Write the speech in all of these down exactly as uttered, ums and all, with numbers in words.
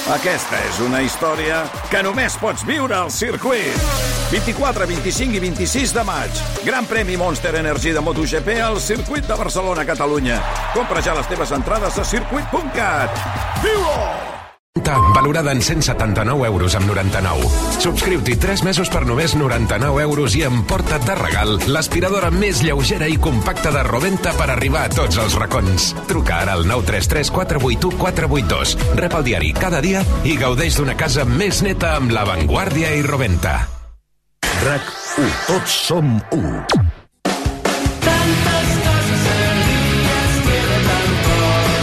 Aquesta és una història que només pots viure al circuit. vint-i-quatre, vint-i-cinc i vint-i-sis de maig. Gran premi Monster Energy de MotoGP al circuit de Barcelona, Catalunya. Compra ja les teves entrades a circuit punt cat. Viu-ho! Valorada en cent setanta-nou euros amb noranta-nou. Subscriu-t'hi tres mesos per només noranta-nou euros i emporta't de regal l'aspiradora més lleugera i compacta de Roventa per arribar a tots els racons. Truca ara al nou tres tres quatre vuit u quatre vuit dos. Rep el diari cada dia i gaudeix d'una casa més neta amb La Vanguardia i Roventa. RAC u. Tots som u. Tantes coses servides queda tan poc.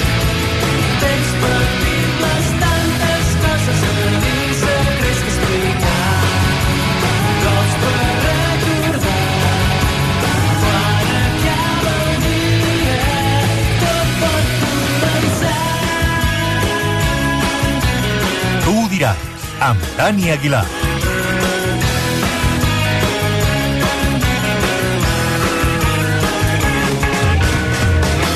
Tens petibles tantes coses a dir, secrets que explicar. Cops per recordar. Quan acaba el dia, tot pot començar. Tu ho diràs, amb Dani Aguilar.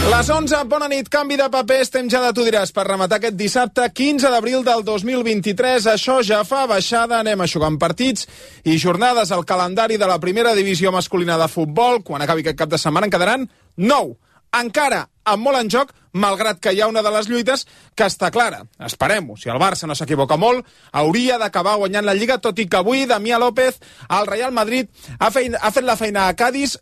Les onze, bona nit, canvi de paper, estem ja de Tu diràs per rematar aquest dissabte quinze d'abril del dos mil vint-i-tres. Això ja fa baixada, anem aixugant partits i jornades al calendari de la primera divisió masculina de futbol. Quan acabi aquest cap de setmana en quedaran nou. Encara amb molt en joc, malgrat que hi ha una de les lluites que està clara. Esperem-ho, si el Barça no s'equivoca molt, hauria d'acabar guanyant la Lliga, tot i que avui Damià López, al Real Madrid, ha, fein, ha fet la feina a Cádiz,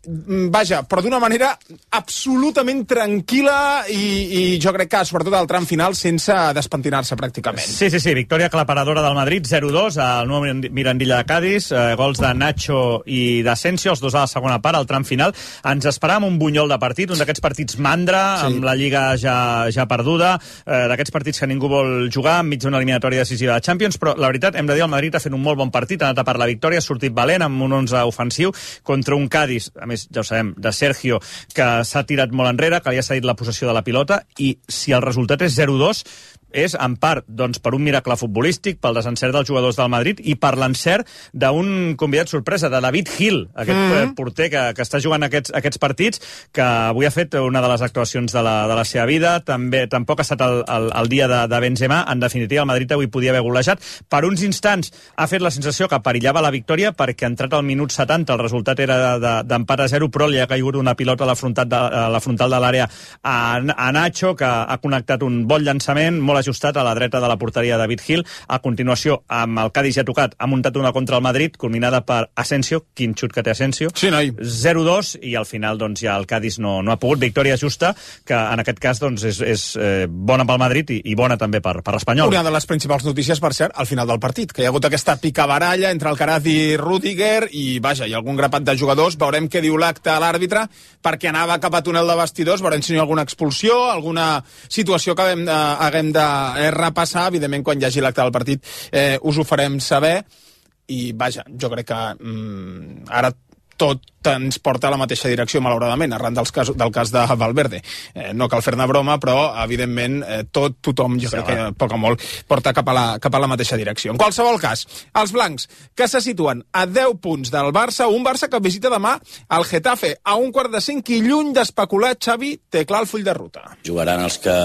vaja, però d'una manera absolutament tranquil·la i, i jo crec que, sobretot al tram final, sense despentinar-se pràcticament. Sí, sí, sí, victòria aclaparadora del Madrid, zero dos, al nou Mirandilla de Cádiz, eh, gols de Nacho i d'Asensio, els dos a la segona part, al tram final. Ens esperàvem un bunyol de partit, un d'aquests partits mandra, sí, amb la Lliga ja, ja perduda, eh, d'aquests partits que ningú vol jugar enmig d'una eliminatòria decisiva de Champions, però la veritat, hem de dir, el Madrid ha fet un molt bon partit, ha anat a per la victòria, ha sortit valent amb un onze ofensiu contra un Cádiz, a més, ja ho sabem, de Sergio, que s'ha tirat molt enrere, que li ha cedit la possessió de la pilota, i si el resultat és zero dos, és en part doncs, per un miracle futbolístic, pel desencert dels jugadors del Madrid i per l'encert d'un convidat sorpresa, de David Gil, aquest mm. porter que, que està jugant aquests, aquests partits, que avui ha fet una de les actuacions de la, de la seva vida. També tampoc ha estat el, el, el dia de, de Benzema. En definitiva, el Madrid avui podia haver golejat. Per uns instants ha fet la sensació que perillava la victòria, perquè entrat al minut setanta el resultat era d'empat de, de, a zero, però li ha caigut una pilota a la frontal de, a la, frontal de l'àrea a, a Nacho, que ha connectat un bon llançament, molt ajustat a la dreta de la porteria de David Gil. A continuació, amb el Cádiz ja tocat, ha muntat una contra el Madrid, culminada per Asensio, quin xut que té Asensio. Sí, noi. zero dos, i al final doncs, ja el Cádiz no, no ha pogut. Victòria justa, que en aquest cas doncs, és, és eh, bona pel Madrid i, i bona també per, per l'Espanyol. Una de les principals notícies, per cert, al final del partit, que hi ha hagut aquesta picabaralla entre Alcaraz i Rüdiger, i vaja, hi ha algun grapat de jugadors. Veurem què diu l'acte a l'àrbitre, perquè anava cap a túnel de vestidors, veurem si hi ha alguna expulsió, alguna situació que haguem de, haguem de repassar. Evidentment, quan hi hagi l'acte del partit eh, us ho farem saber, i vaja, jo crec que mm, ara tot ens porta a la mateixa direcció, malauradament, arran dels cas, del cas de Valverde. Eh, no cal fer-ne broma, però, evidentment, eh, tot, tothom, jo sí, crec que poc o molt, porta cap a, la, cap a la mateixa direcció. En qualsevol cas, els blancs, que se situen a deu punts del Barça, un Barça que visita demà el Getafe a un quart de cinc, i lluny d'especular, Xavi té clar el full de ruta. Jugaran els que,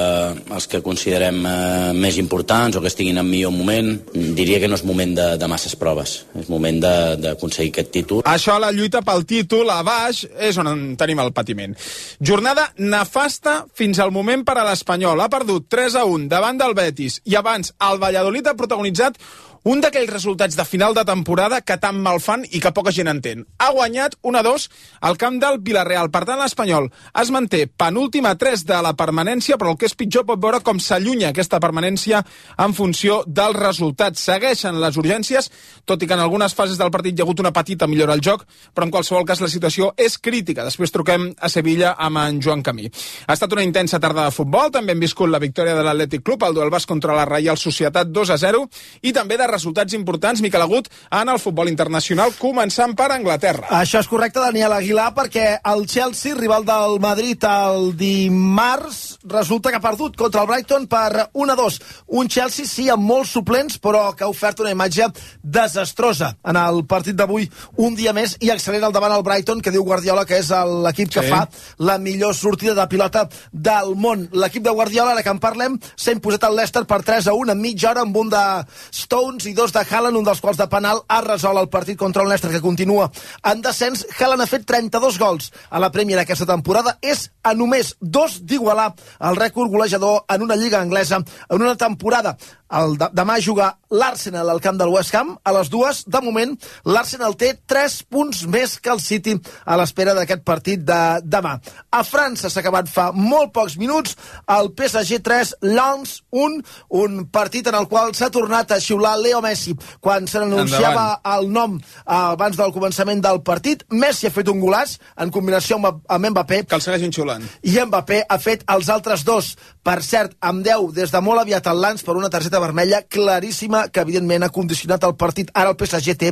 els que considerem eh, més importants o que estiguin en millor moment. Diria que no és moment de, de masses proves, és moment d'aconseguir aquest títol. Això, la lluita pel títol a baix és on tenim el patiment. Jornada nefasta fins al moment per a l'Espanyol. Ha perdut tres a un davant del Betis, i abans el Valladolid ha protagonitzat un d'aquells resultats de final de temporada que tan mal fan i que poca gent entén. Ha guanyat un a dos al camp del Villarreal. Per tant, l'Espanyol es manté penúltim a tres de la permanència, però el que és pitjor, pot veure com s'allunya aquesta permanència en funció dels resultats. Segueixen les urgències, tot i que en algunes fases del partit hi ha hagut una petita millora al joc, però en qualsevol cas la situació és crítica. Després truquem a Sevilla amb en Joan Camí. Ha estat una intensa tarda de futbol, també hem viscut la victòria de l'Atlètic Club, el duel basc contra la Reial Societat dos a zero, i també de resultats importants, Miquel Agut, en el futbol internacional, començant per Anglaterra. Això és correcte, Daniel Aguilar, perquè el Chelsea, rival del Madrid el dimarts, resulta que ha perdut contra el Brighton per un a dos. Un Chelsea, sí, amb molts suplents, però que ha ofert una imatge desastrosa en el partit d'avui, un dia més, i accelera el davant el el Brighton, que diu Guardiola que és l'equip que Sí. fa la millor sortida de pilota del món. L'equip de Guardiola, ara que en parlem, s'ha imposat el Leicester per tres a un en mitja hora amb un de Stones i dos de Haaland, un dels quals de penal ha resolt el partit contra el Leicester, que continua en descens. Haaland ha fet trenta-dos gols a la Premier aquesta temporada, és a només dos d'igualar el rècord golejador en una lliga anglesa en una temporada. El de, demà juga l'Arsenal al camp del West Ham a les dues. De moment, l'Arsenal té tres punts més que el City a l'espera d'aquest partit de demà. A França s'ha acabat fa molt pocs minuts el P S G tres, Lens un, un partit en el qual s'ha tornat a xiular Leo Messi quan se n'anunciava el nom eh, abans del començament del partit. Messi ha fet un golaç en combinació amb, amb Mbappé. Que el segueixin xulant. I Mbappé ha fet els altres dos. Per cert, amb deu des de molt aviat al Lens per una targeta vermella claríssima que evidentment ha condicionat el partit. Ara el P S G té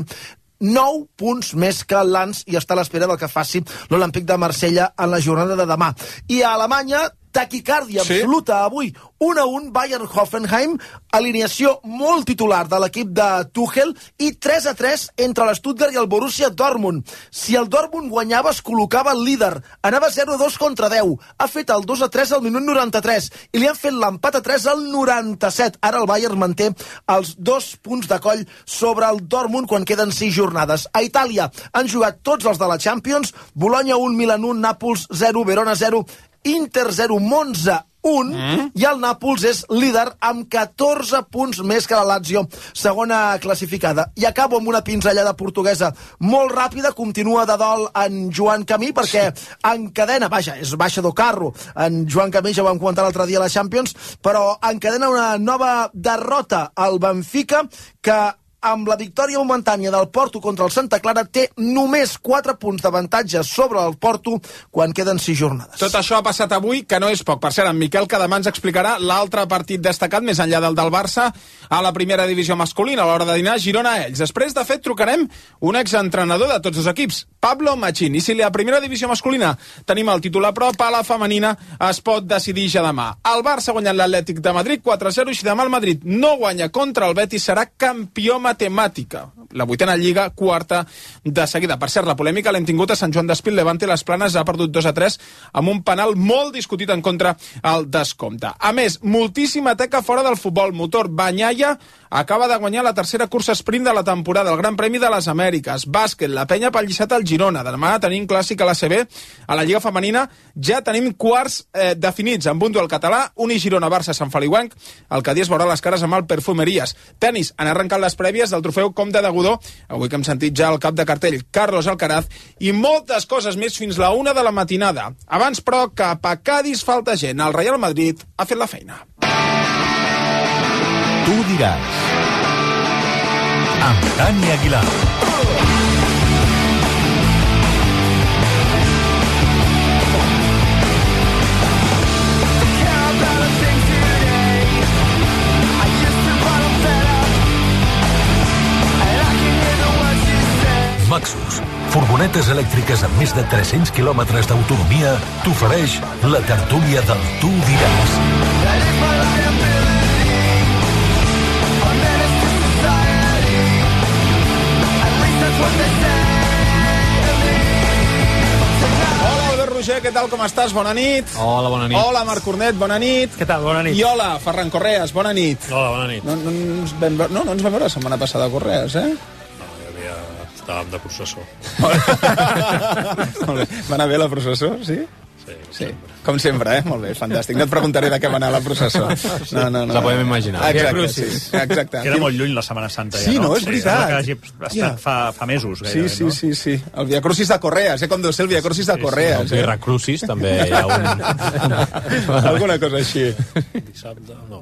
nou punts més que el Lens i està a l'espera del que faci l'Olímpic de Marsella en la jornada de demà. I a Alemanya, taquicàrdia Sí. absoluta avui. un a un Bayern-Hoffenheim, alineació molt titular de l'equip de Tuchel i tres a tres entre l'Stuttgart i el Borussia Dortmund. Si el Dortmund guanyava es col·locava el líder, anava zero a dos contra deu, ha fet el dos a tres al minut noranta-tres i li han fet l'empat a tres al noranta-set. Ara el Bayern manté els dos punts de coll sobre el Dortmund quan queden sis jornades. A Itàlia han jugat tots els de la Champions, Bologna un, Milan un, Nàpols zero, Verona zero, Inter zero, Monza un, mm. i el Nàpols és líder amb catorze punts més que la Lazio, segona classificada. I acabo amb una pinzellada portuguesa molt ràpida. Continua de dol en Joan Camí perquè encadena, vaja, és baixa do carro, en Joan Camí, ja ho vam comentar l'altre dia a la Champions, però encadena una nova derrota al Benfica, que amb la victòria momentània del Porto contra el Santa Clara té només quatre punts d'avantatge sobre el Porto quan queden sis jornades. Tot això ha passat avui, que no és poc. Per cert, en Miquel, que demà ens explicarà l'altre partit destacat, més enllà del del Barça, a la primera divisió masculina, a l'hora de dinar, Girona a ells. Després, de fet, trucarem un exentrenador de tots els equips, Pablo Machín. I si la primera divisió masculina tenim el titular prop, a la femenina es pot decidir ja demà. El Barça ha guanyat l'Atlètic de Madrid quatre a zero, i si demà el Madrid no guanya contra el Betis, serà campió matemàtica. La vuitena lliga, quarta de seguida. Per cert, la polèmica l'hem tingut a Sant Joan d'Espí. Levante les Planes ha perdut dos a tres amb un penal molt discutit en contra al descompte. A més, moltíssima teca fora del futbol. Motor Banyaia acaba de guanyar la tercera cursa sprint de la temporada, el Gran Premi de les Amèriques. Bàsquet, la penya pel Lliçat al Girona. Demà tenim clàssic a l'A C B. A la Lliga Femenina ja tenim quarts eh, definits amb un duel català, Uni Girona-Barça Sant Feliuenc. El Cadí es veurà les cares amb el Perfumeries. Tenis, han arrencat les prèvies del trofeu Comte de Godó, avui que hem sentit ja el cap de cartell, Carlos Alcaraz, i moltes coses més fins la una de la matinada. Abans, però, cap a Cadis falta gent. El Real Madrid ha fet la feina. Tu diràs. Amb Dani Aguilar. Maxus, furgonetes elèctriques amb més de tres-cents quilòmetres d'autonomia, t'ofereix la tertúlia del Tu diràs. Hola, Albert Roger, què tal, com estàs? Bona nit. Hola, bona nit. Hola, Marc Cornet, bona nit. Què tal? Bona nit. I hola, Ferran Correas, bona nit. Hola, bona nit. No, no, ens vam veure, no, no ens vam veure la setmana passada a Correas, eh? No, hi havia... Estàvem de processó. Molt bé. Va anar bé la processó, sí? Sí, Sí, com sempre, eh? Molt bé, fantàstic. No et preguntaré de què va anar la processó. No, no, no. La podem imaginar. Exacte, sí, exacte. Queda molt lluny la Setmana Santa, Sí, ja, no? no, és veritat. Sembla que hagi estat Ja. fa, fa mesos, Sí, gairebé, sí, no? sí, sí. El Via Crucis de Correas, eh? Com deu ser el Via Crucis de Correas. El Via Crucis també hi ha un... Alguna cosa així. Dissabte, no,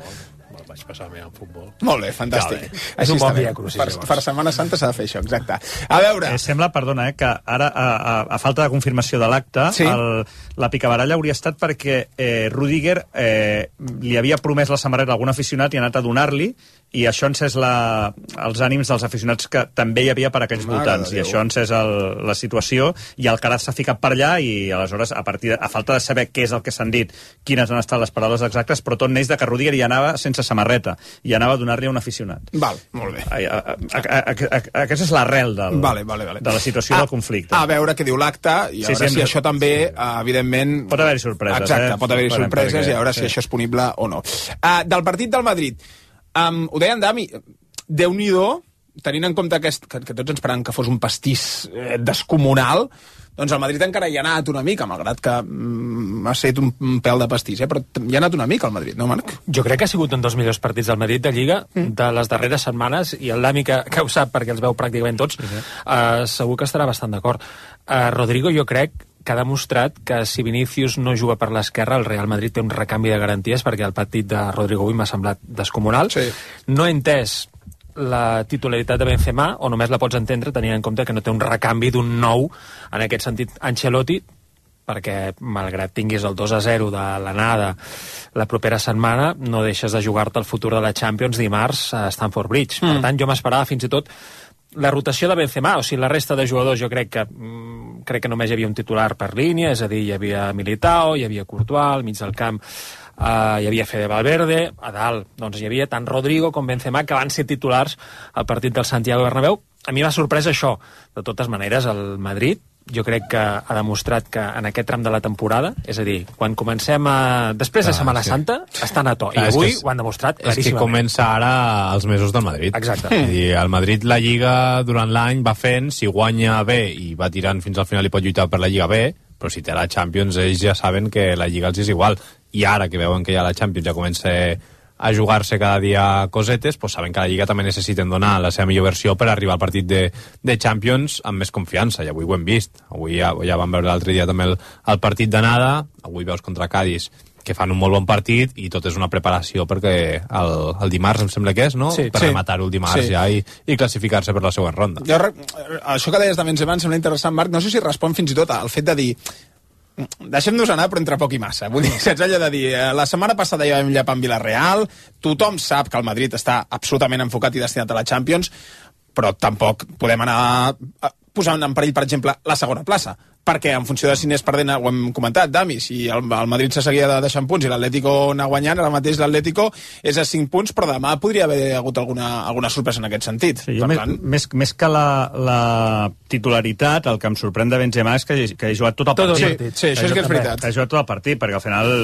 vaig passar bé en futbol. Molt bé, fantàstic. Ja, bé. Així És un bon està bé. Via Crucis, Per, llavors. per Setmana Santa s'ha de fer això, exacte. A veure... Eh, sembla, perdona, eh, que ara, a, a, a falta de confirmació de l'acte, Sí. el, la picabaralla hauria estat perquè eh, Rudiger eh, li havia promès la samarreta a algun aficionat i ha anat a donar-li, i això ha encès la, els ànims dels aficionats que també hi havia per aquells Mare voltants, de i Déu. això ha encès el, la situació, i el Caraz s'ha ficat per allà, i aleshores, a partir de, a falta de saber què és el que s'han dit, quines han estat les paraules exactes, però tot neix de que Rudiger hi anava sense samarreta. samarreta i anava a donar-li a un aficionat. Val, molt bé. A, a, a, a, a, aquesta és l'arrel del, vale, vale, vale. de la situació a, del conflicte. A veure què diu l'acte i a sí, veure sí, si això també, uh, evidentment... Pot haver-hi sorpreses. Exacte, eh? pot haver-hi sorpreses perquè, i a veure sí. si això és punible o no. Uh, del partit del Madrid, um, ho deia en Dami, Déu-n'hi-do, tenint en compte que, que, que tots ens esperàvem que fos un pastís eh, descomunal, doncs el Madrid encara hi ha anat una mica, malgrat que mm, ha estat un, un pèl de pastís, eh? Però hi ha anat una mica el Madrid, no, Marc? Jo crec que ha sigut un dels millors partits del Madrid de Lliga mm. de les darreres setmanes, i el Dami, que, que ho sap perquè els veu pràcticament tots, sí, sí. Uh, segur que estarà bastant d'acord. Uh, Rodrigo, jo crec que ha demostrat que si Vinícius no juga per l'esquerra, el Real Madrid té un recanvi de garanties, perquè el partit de Rodrigo avui m'ha semblat descomunal. Sí. No he entès la titularitat de Benzema, o només la pots entendre tenint en compte que no té un recanvi d'un nou, en aquest sentit, Ancelotti, perquè malgrat tinguis el dos a zero de l'anada la propera setmana, no deixes de jugar-te el futur de la Champions dimarts a Stamford Bridge. Mm. Per tant, jo m'esperava fins i tot la rotació de Benzema, o sigui, la resta de jugadors, jo crec que mm, crec que només hi havia un titular per línia, és a dir, hi havia Militao, hi havia Courtois, al mig del camp Uh, hi havia Fede Valverde, a dalt doncs hi havia tant Rodrigo com Benzema, que van ser titulars al partit del Santiago Bernabéu. A mi m'ha sorprès això. De totes maneres, el Madrid jo crec que ha demostrat que en aquest tram de la temporada, és a dir, quan comencem a... després de Setmana ah, sí. Santa, estan a to. I ah, avui és, ho han demostrat claríssimament. És que comença ara els mesos del Madrid. Exacte. Mm. I el Madrid, la Lliga, durant l'any va fent, si guanya bé i va tirant fins al final i pot lluitar per la Lliga bé, però si té la Champions, ells ja saben que la Lliga els és igual. I ara que veuen que ja la Champions ja comença a jugar-se cada dia cosetes, pues saben que la Lliga també necessiten donar la seva millor versió per arribar al partit de, de Champions amb més confiança, i avui ho hem vist. Avui ja, ja vam veure l'altre dia també el, el partit d'anada, avui veus contra Cádiz que fan un molt bon partit i tot és una preparació perquè el, el dimarts em sembla que és, no? Sí, per sí. rematar-ho el dimarts sí. ja i, i classificar-se per la següent ronda. Jo, això que deies de Benzema em sembla interessant, Marc, no sé si respon fins i tot al fet de dir deixem-nos anar, però entre poc i massa. Vull dir, saps allò de dir, la setmana passada ja vam llepar en Villarreal, tothom sap que el Madrid està absolutament enfocat i destinat a la Champions, però tampoc podem anar posant en perill, per exemple, la segona plaça, perquè en funció de si n'és perdent, ho hem comentat, Dami, si el, el Madrid se seguia de deixant punts i l'Atlético anar guanyant, ara mateix l'Atlético és a cinc punts, però demà podria haver hagut alguna, alguna sorpresa en aquest sentit. Sí, per més, tant... més, més que la, la titularitat, el que em sorprèn de Benzema és que, que ha jugat tot el tot partit. Sí, sí, això és que és veritat. Ha jugat tot el partit, perquè al final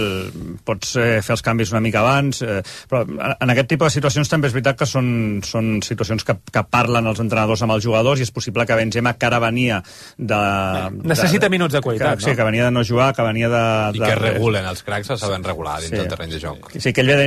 pots eh, fer els canvis una mica abans, eh, però en aquest tipus de situacions també és veritat que són, són situacions que, que parlen els entrenadors amb els jugadors, i és possible que Benzema, que ara venia de... Necessita minuts de qualitat, que, no? Sí, que venia de no jugar, que venia de... I de, que regulen, els cracs se saben regular dins sí. del terreny de joc. Sí, que ell ve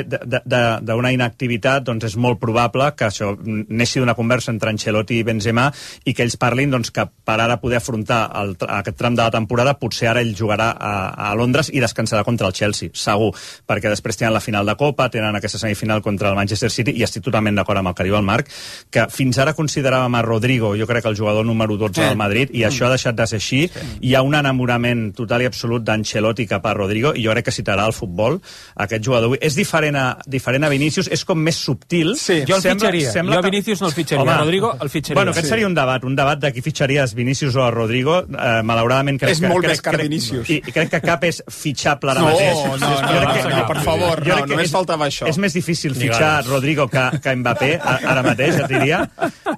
d'una inactivitat, doncs és molt probable que això neixi d'una conversa entre Ancelotti i Benzema i que ells parlin doncs, que per ara poder afrontar el, aquest tram de la temporada, potser ara ell jugarà a, a Londres i descansarà contra el Chelsea, segur, perquè després tenen la final de Copa, tenen aquesta semifinal contra el Manchester City, i estic totalment d'acord amb el que diu el Marc, que fins ara consideràvem a Rodrigo, jo crec que el jugador número dotze del Madrid, i això ha deixat de ser així. Hi ha un enamorament total i absolut d'Ancelotti cap a Rodrigo, i jo crec que citarà el futbol aquest jugador. És diferent a, diferent a Vinícius, és com més subtil. Sí. Jo el sembla, fitxaria. Sembla jo a Vinícius no el fitxaria. Home, Rodrigo el fitxaria. Bueno, aquest sí. seria un debat, un debat de qui fitxaries, Vinícius o a Rodrigo. Eh, malauradament crec és que... molt crec, més car crec, Vinícius. I, I crec que cap és fitxable ara no, mateix. No, no, no, no, no, per favor, no, només és, faltava això. És més difícil fitxar Rodrigo que, que Mbappé, ara mateix, et diria,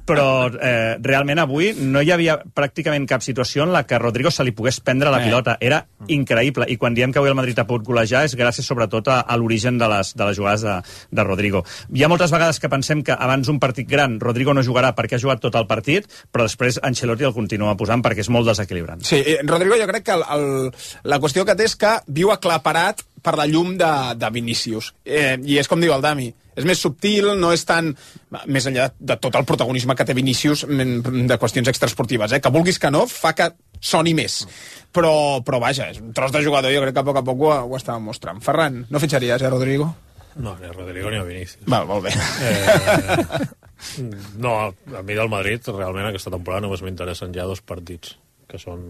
però eh, realment avui no hi havia pràcticament cap situació en la que Rodrigo se li pogués prendre la pilota. Era increïble, i quan diem que avui el Madrid ha pogut golejar és gràcies sobretot a, a l'origen de les, de les jugades de, de Rodrigo. Hi ha moltes vegades que pensem que abans un partit gran Rodrigo no jugarà perquè ha jugat tot el partit, però després Ancelotti el continua posant perquè és molt desequilibrant. Sí, Rodrigo jo crec que el, el, la qüestió que té és que viu aclaparat per la llum de, de Vinícius. Eh, I és com diu el Dami, és més subtil, no és tan... Més enllà de tot el protagonisme que té Vinícius de qüestions extraesportives, eh? Que vulguis que no, fa que soni més. Però, però vaja, és un tros de jugador, jo crec que a poc a poc ho, ho estava mostrant. Ferran, no fitxaries, eh, Rodrigo? No, ni a Rodrigo ni a Vinícius. Val, molt bé. Eh, no, a mi del Madrid, realment, aquesta temporada només m'interessen ja dos partits, que són...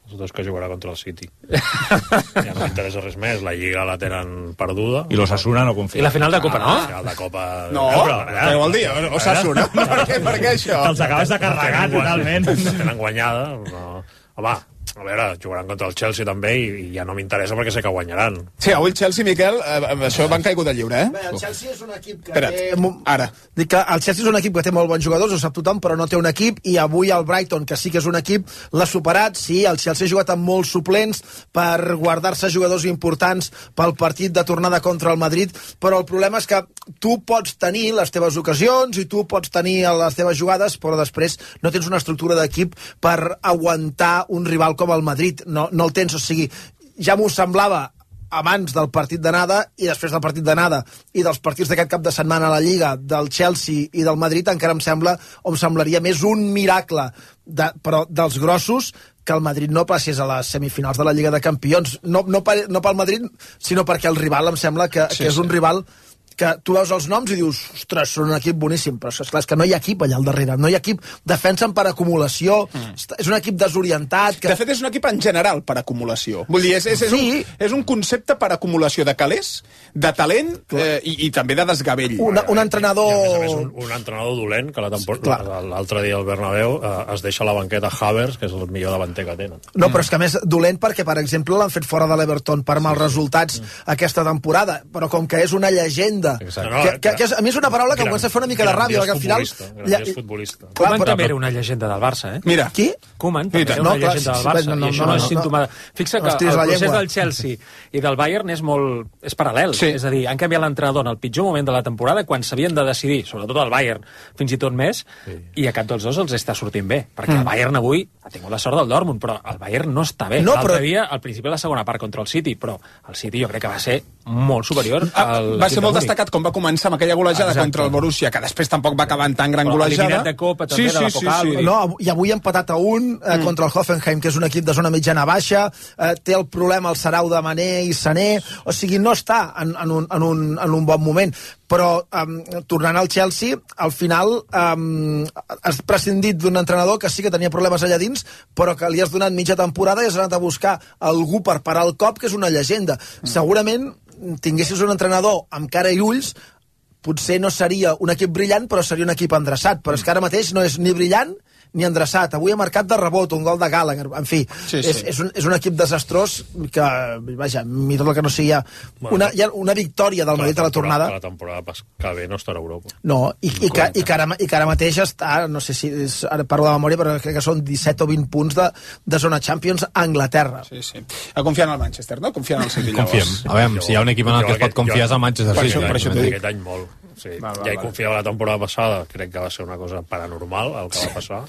els dos que jugarà contra el City. Ja no m'interessa res més. La Lliga la tenen perduda. I l'Osasuna no confia. I la final de Copa, no? La final de Copa... No, però, què vol dir? Osasuna? Per què, per què això? Te'ls acabes de carregar totalment. Tenen guanyada. No. Home, a veure, jugaran contra el Chelsea també i, i ja no m'interessa perquè sé que guanyaran. Sí, avui el Chelsea, Miquel, eh, això van caigut del lliure, eh? Bé, el Chelsea és un equip que Espera't, té... ara. Dic que el Chelsea és un equip que té molt bons jugadors, ho sap tothom, però no té un equip, i avui el Brighton, que sí que és un equip, l'ha superat. Sí, el Chelsea ha jugat amb molts suplents per guardar-se jugadors importants pel partit de tornada contra el Madrid, però el problema és que tu pots tenir les teves ocasions i tu pots tenir les teves jugades, però després no tens una estructura d'equip per aguantar un rival com el Madrid. No, no el tens, o sigui, ja m'ho semblava abans del partit d'anada i després del partit d'anada i dels partits d'aquest cap de setmana a la Lliga, del Chelsea i del Madrid, encara em sembla, o em semblaria més un miracle, de, però dels grossos, que el Madrid no passés a les semifinals de la Lliga de Campions. No, no, per, no pel Madrid, sinó perquè el rival em sembla que, sí, que és sí. un rival que tu veus els noms i dius, ostres, són un equip boníssim, però és clar, és que no hi ha equip allà al darrere, no hi ha equip, defensen per acumulació, mm. és un equip desorientat... Que... De fet, és un equip en general per acumulació. Vull dir, és, és, és, sí. un, és un concepte per acumulació de calés, de talent eh, i, i també de desgavell. Un, un entrenador... I, a més a més, un, un entrenador dolent, que l'altre dia al Bernabéu eh, es deixa a la banqueta Havertz, que és el millor davanter que tenen. No, però és que a més dolent perquè, per exemple, l'han fet fora de l'Everton per mals resultats mm. aquesta temporada, però com que és una llegenda... Exacte. Que, que, que és, a mi és una paraula que em comença a fer una mica de ràbia, perquè al final... Grandiós futbolista. Koeman també era una llegenda del Barça, eh? Mira. Qui? Koeman també era una no, llegenda del Barça, no, no, i això no, no és no, símptoma... Fixa que el procés del Chelsea i del Bayern és molt... és paral·lel. Sí. És a dir, han canviat l'entrenador en el pitjor moment de la temporada, quan s'havien de decidir, sobretot el Bayern, fins i tot més, sí. i a cap dels dos els està sortint bé. Perquè mm. el Bayern avui ha tingut la sort del Dortmund, però el Bayern no està bé. No, L'altre però... dia, al principi de la segona part contra el City, però el City jo crec que va ser molt superior al... Va ser molt destacat com va començar amb aquella golejada Exacte. contra el Borussia, que després tampoc va acabar en tan gran golejada. Eliminat de Copa, també, sí, de la sí, Pokal. sí, sí. No, I avui ha empatat a un eh, mm. contra el Hoffenheim, que és un equip de zona mitjana baixa, eh, té el problema el Sarau de Mané i Sané, o sigui, no està en, en, un, en, un, en un bon moment. Però, eh, tornant al Chelsea, al final eh, has prescindit d'un entrenador que sí que tenia problemes allà dins, però que li has donat mitja temporada i has anat a buscar algú per parar el cop, que és una llegenda. Mm. Segurament tinguessis un entrenador amb cara i ulls, potser no seria un equip brillant, però seria un equip endreçat. Però és que ara mateix no és ni brillant ni endreçat. Avui ha marcat de rebot un gol de Gallagher. En fi, sí, sí. És, és, un, és un equip desastrós que, vaja, mira el que no sigui, bueno, una, hi ha una victòria del Madrid a la tornada. La temporada que ve no estarà a Europa. No, i, i, que, i, que ara, i que ara mateix està, no sé si, és, ara parlo de memòria, però crec que són disset o vint punts de, de zona Champions a Anglaterra. Sí, sí. A confiar en el Manchester, no? Confiar en el City, llavors. Confiem. A veure, si hi ha un equip en el que es pot confiar és el Manchester per City. això, per això t'ho dic. Aquest any molt. Sí, va, va, ja hi va. confiava la temporada passada, crec que va ser una cosa paranormal el que va passar.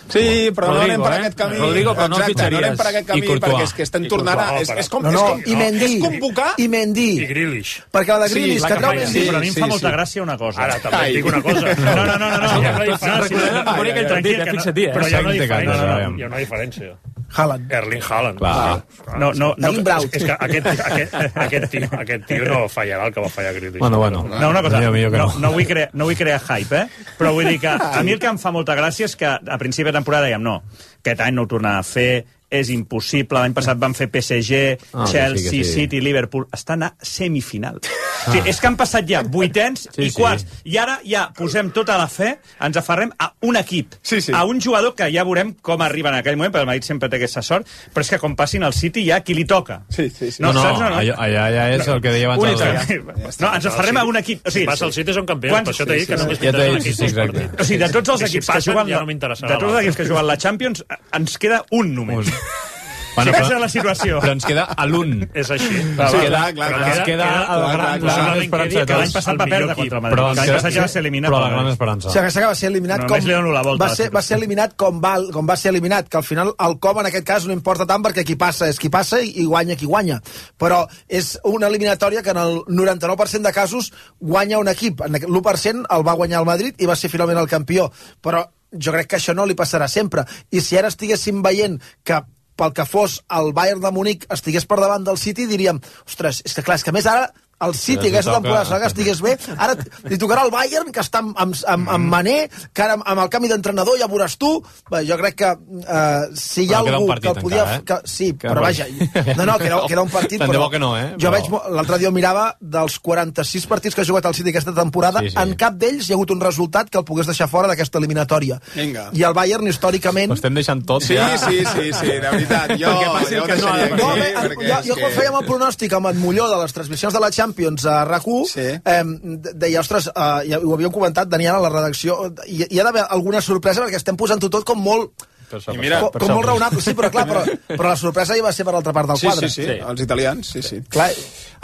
Sí, però no anem per eh? aquest camí. Rodrigo, però no Exacte, no anem per aquest camí perquè és que estem tornant a... És, és, com, no, no, és, com, i Mendy, és convocar... I Mendy. I Grealish. Perquè la de Grealish, Sí, que treu Sí, Mendy... però a mi em Sí, fa sí, molta sí. gràcia una cosa. Ara també et dic una cosa. No, no, no, no, no. Hi ha una No, diferència. sí, no, no, Bonic, tranquil, que fixa't, eh? Però hi ha una diferència. No, no, Hi ha una diferència. Haaland. Erling Haaland. Clar. No, no, no, Erling Braut. És que aquest, aquest, aquest, tio, aquest tio no fallarà el que va fallar Grealish. Bueno, bueno. No, una cosa, Millor, millor que no, no. no, vull crear, no vull crear hype, eh? Però vull dir que a mi el que em fa molta gràcia és que a principi de temporada dèiem no, aquest any no ho tornarà a fer, és impossible, l'any passat van fer P S G, Ah, Chelsea, sí, sí. City, Liverpool, estan a semifinal. Ah. Sí, és que han passat ja vuitens Sí, i sí. quarts, i ara ja posem tota la fe, ens aferrem a un equip, Sí, sí. a un jugador que ja veurem com arriba en aquell moment, perquè el Madrid sempre té aquesta sort, però és que com passin al City ja qui li toca. Sí, sí, sí. No, no, saps o no? allà, allà ja és el que deia abans. Un el- italià. No, ens aferrem a un equip. O sigui, Si passa el City són campions, Quants- per això t'he dit que només Ja t'he m'interessen dit, sí, aquests sí, dos exacte. partits. O sigui, de tots els I si equips que passen, juguen ja no m'interessarà de tots els l'altre. equips que juguen la Champions, ens queda un només. Un. Bueno, sí, aquesta és la situació. Però ens queda a l'un. És així. Ens Sí, queda, clar, clar, ens clar. queda Queda- el gran, clar, la clar. gran esperança de Que l'any tots. passat va el perdre millor contra el equip. Madrid. Però, L'any ens passat ja va ser queda, eliminat. però pel la gran Madrid. esperança. O sigui, que va ser eliminat No, com... només li dono la volta a va, la ser, va ser eliminat com va, com va ser eliminat, que al final el com en aquest cas no importa tant perquè qui passa és qui passa i, i guanya qui guanya. Però és una eliminatòria que en el noranta-nou per cent de casos guanya un equip. En l'u per cent el va guanyar el Madrid i va ser finalment el campió. Però jo crec que això no li passarà sempre. I si ara estiguéssim veient que pel que fos el Bayern de Múnich estigués per davant del City, diríem, ostres, és que clar, és que a més ara el City Sí, aquesta toca. temporada serà que estigués bé, ara li tocarà el Bayern, que està amb, amb, amb, amb Mané, que ara amb el canvi d'entrenador ja veuràs tu. Bé, jo crec que uh, si hi ha Bueno, queda un algú partit que el podia... encara, eh? que, sí, Que però rotllo. vaja, no, no, que era, que era un partit, Tant de però... bo que no, eh? Jo Però- veig, mo- l'altre dia ho mirava, dels quaranta-sis partits que ha jugat el City aquesta temporada, Sí, sí. en cap d'ells hi ha hagut un resultat que el pogués deixar fora d'aquesta eliminatòria. Vinga. I el Bayern, històricament... Ho estem deixant tot, Sí, ja. sí, sí, sí, de veritat. Jo, Perquè passi el jo que no ha de deixaria No, aquí, bé, en, perquè jo, és jo quan que- fèiem el pronòstic amb en Molló de les transmissions de la Champions a RAC u, Sí. eh, deia, ostres, eh, ja ho havíem comentat, Daniel, a la redacció, hi, hi ha d'haver alguna sorpresa perquè estem posant-ho tot com molt... Per això, I per mira, això, Com, per com això. molt raonable, sí, però clar, però, però la sorpresa hi va ser per l'altra part del Sí, quadre. sí, sí, Sí. els italians, sí, sí. Clar,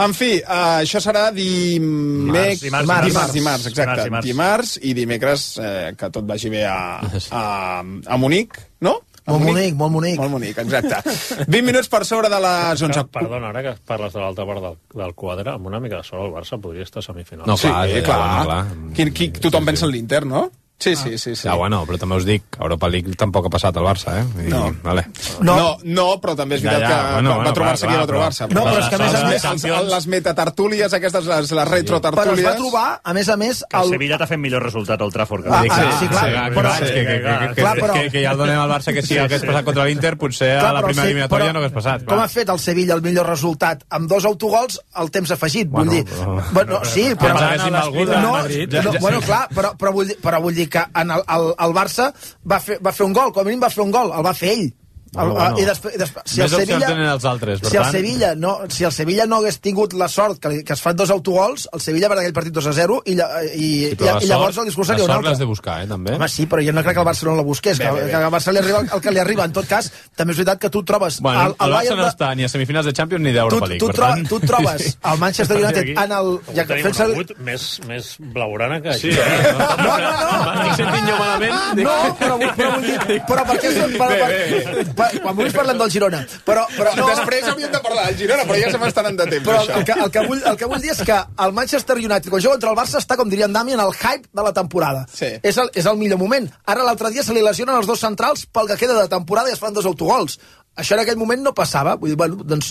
En fi, uh, això serà dimec... Dimarts, dimarts, dimarts. dimarts, dimarts, exacte. Dimarts, Dimarts, i dimecres eh, que tot vagi bé a, a, a Munic, no? A molt bonic, molt bonic. Molt bonic, exacte. vint minuts per sobre de les onze. Perdona, ara que parles de l'altra part del, del quadre, amb una mica de sort el Barça podria estar a semifinal. No, Sí, clar, clar. ja, clar. bueno, clar. Qui, qui, tothom pensa en l'Inter, no? Sí, sí, sí. sí. Ja, bueno, però també us dic, Europa League tampoc ha passat al Barça, eh? I, No. Vale. No, no, no, però també és Ja, veritat ja, que bueno, va, bueno, va trobar-se clar, qui va clar, trobar-se. No, però és que a més a les, més- les, les metatartúlies, aquestes, les, les retrotartúlies... Però es va trobar, a més a més... Que el Sevilla t'ha fet millor resultat al Trafford. Ah, Dic, ah, sí, clar, que, però- que, que, que, que, Clar, però- que, que ja el donem al Barça que si hagués passat contra l'Inter potser a Clar, la però primera sí, eliminatòria però no hagués passat. Com clar. ha fet el Sevilla el millor resultat? Amb dos autogols, el temps afegit, Bueno, vull dir... però- Bueno, sí, però... Pensava que haguéssim algú de no, Madrid. no, bueno, clar, però, però, vull dir, però vull dir que en el, el, el Barça va fer, va fer un gol, com a mínim va fer un gol, el va fer ell. El, Bueno, bueno. I després, després, si Més el opcions Sevilla, tenen els altres, per si el tant. Sevilla no, si el Sevilla no hagués tingut la sort que, li- que es fan dos autogols, el Sevilla perd aquell partit dos a zero i, lla- i, Sí, i, però la i llavors sort- el discurs la seria un sort altre. l'has de buscar, eh, també. Home, sí, però jo no crec que el Barça no la busqués, Bé, que, bé, bé. que al Barça li arriba el que li arriba. En tot cas, també és veritat que tu et trobes... Bueno, el, el Barça Bayern no de- està ni a semifinals de Champions ni tu, d'Europa tu, League, per troba, tant... tu et trobes el Manchester United en el... Ja que Tenim fent un servir... agut més, més blaugrana que Sí, això. eh? No, no, no. M'estic sentint jo malament. No, però, però vull dir... Però per què... Per, per, per, quan vulguis parlem del Girona. Però, però no, Després havíem de parlar del Girona, però ja se m'estan de temps, però això. el que, el, que vull, el que vull dir és que el Manchester United, quan juga contra el Barça, està, com diria en Dami, en el hype de la temporada. Sí. És, el, és el millor moment. Ara l'altre dia se li lesionen els dos centrals pel que queda de temporada i es fan dos autogols. Això en aquell moment no passava. Vull dir, bueno, doncs,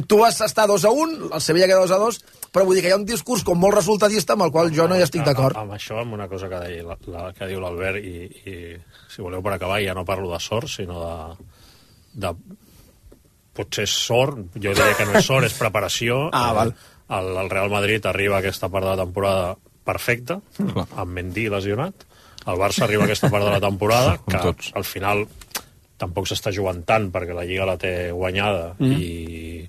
tu vas estar dos a un, el Sevilla queda dos a dos, però vull dir que hi ha un discurs com molt resultadista amb el qual jo no hi estic d'acord. Amb això, amb una cosa que, deia, la, la, que diu l'Albert, i, i si voleu per acabar, ja no parlo de sort, sinó de... de potser és sort, jo diria que no és sort, és preparació. Ah, val. El, el Real Madrid arriba a aquesta part de la temporada perfecta, Clar. amb Mendy lesionat. El Barça arriba a aquesta part de la temporada, Com que tots. al final tampoc s'està jugant tant perquè la Lliga la té guanyada mm. i,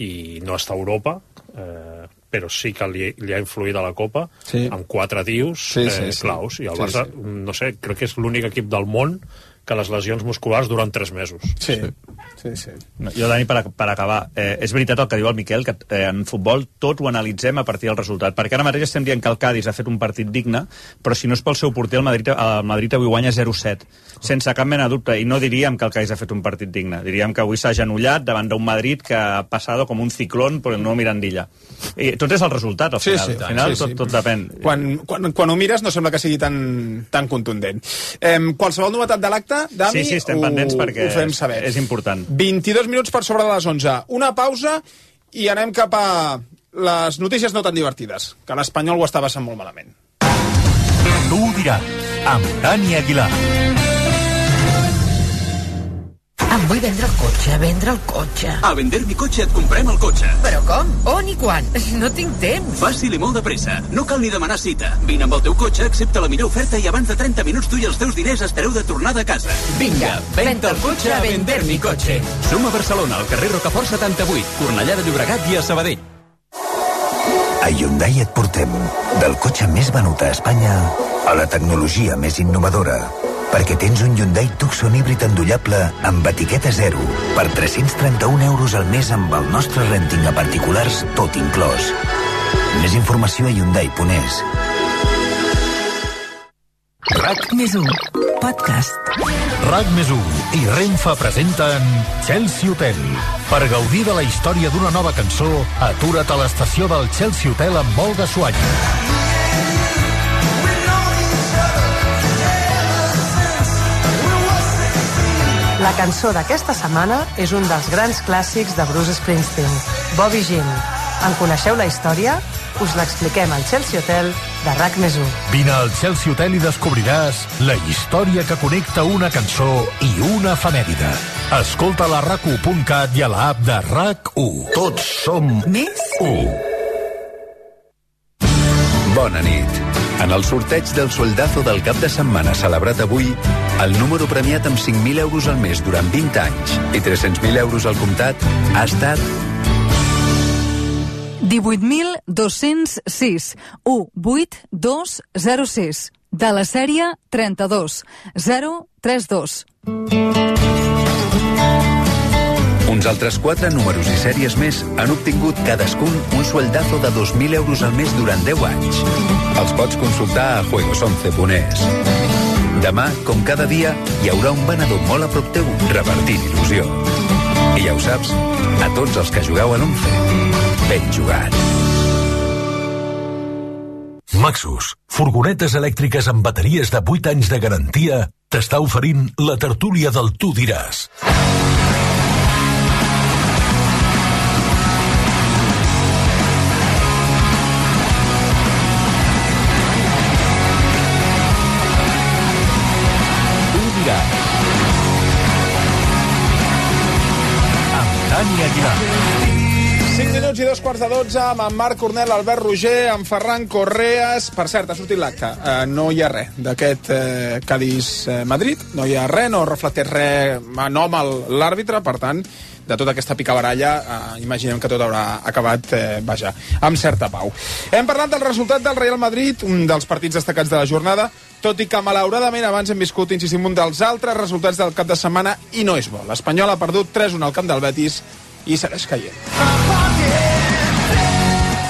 i no està a Europa, eh, però sí que li, li ha influït a la Copa Sí. amb quatre tios Sí, eh, sí, sí. claus, i el Sí, Barça, sí. no sé, crec que és l'únic equip del món que les lesions musculars duren tres mesos. Sí, sí, sí. No, jo, Dani, per, per acabar, eh, és veritat el que diu el Miquel, que eh, en futbol tot ho analitzem a partir del resultat, perquè ara mateix estem dient que el Cádiz ha fet un partit digne, però si no és pel seu porter, el Madrid, el Madrid avui guanya zero set, sense cap mena de dubte, i no diríem que el Cádiz ha fet un partit digne, diríem que avui s'ha agenollat davant d'un Madrid que ha passat com un ciclón per el nou Mirandilla. I tot és el resultat, al Sí, final, sí, al final sí, sí. tot, tot depèn. Quan, quan, quan ho mires no sembla que sigui tan, tan contundent. Eh, qualsevol novetat de l'acte, Dami, Sí, sí, estem ho, pendents perquè ho fem saber. és important. vint-i-dos minuts per sobre de les onze. Una pausa i anem cap a les notícies no tan divertides, que l'Espanyol ho està passant molt malament. Tu ho diràs, amb Dani Aguilar. Em vull vendre el cotxe, vendre el cotxe. A Vender mi cotxe et comprem el cotxe. Però com? On i quan? No tinc temps. Fàcil i molt de pressa. No cal ni demanar cita. Vine amb el teu cotxe, accepta la millor oferta i abans de trenta minuts tu i els teus diners estareu de tornada a casa. Vinga, venda el cotxe a Vender mi cotxe. Som a Barcelona, al carrer Rocafort setanta-vuit, Cornellà de Llobregat i a Sabadell. A Hyundai et portem del cotxe més venut a Espanya a la tecnologia més innovadora. Perquè tens un Hyundai Tucson híbrid endollable amb etiqueta zero per tres-cents trenta-un euros al mes amb el nostre renting a particulars tot inclòs. Més informació a hyundai punt es. RAC més u, podcast. RAC més u i Renfe presenten Chelsea Hotel. Per gaudir de la història d'una nova cançó, atura't a l'estació del Chelsea Hotel amb Olga Suany. La cançó d'aquesta setmana és un dels grans clàssics de Bruce Springsteen, Bobby Jean. En coneixeu la història? Us l'expliquem al Chelsea Hotel de RAC més u. Vine al Chelsea Hotel i descobriràs la història que connecta una cançó i una efemèride. Escolta-la a rac u punt cat i a l'app de RAC u. Tots som Més u. Bona nit. En el sorteig del sueldazo del cap de setmana celebrat avui, el número premiat amb cinc mil euros al mes durant vint anys i tres-cents mil euros al comptat ha estat divuit mil dos-cents sis, u vuit dos zero sis, de la sèrie trenta-dos zero trenta dos. Uns altres quatre números i sèries més han obtingut cadascun un sueldazo de dos mil euros al mes durant deu anys. Els pots consultar a juegos once punt es. Demà, com cada dia, hi haurà un venedor molt a prop teu repartint il·lusió. I ja ho saps, a tots els que jugueu a l'once, ben jugat. Maxus, furgonetes elèctriques amb bateries de vuit anys de garantia, t'està oferint la tertúlia del Tu diràs. Dani Aguilar. cinc minuts i dos quarts de dotze amb en Marc Cornel, Albert Roger, en Ferran Correas. Per cert, ha sortit l'acte. Uh, no hi ha res d'aquest uh, Cádiz-Madrid. No hi ha res, no reflecteix res en nom a l'àrbitre, per tant, de tota aquesta picabaralla, uh, imaginem que tot haurà acabat, uh, vaja, amb certa pau. Hem parlat del resultat del Real Madrid, un dels partits destacats de la jornada, tot i que malauradament abans hem viscut, insistim, un dels altres resultats del cap de setmana i no és bo. L'Espanyol ha perdut tres a un al camp del Betis i segueix caient.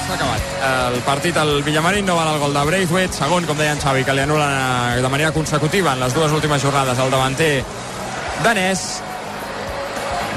S'ha acabat. El partit al Villamarín no val el gol de Braithwaite, segon, com deia en Xavi, que li anul·len de manera consecutiva en les dues últimes jornades el davanter danès.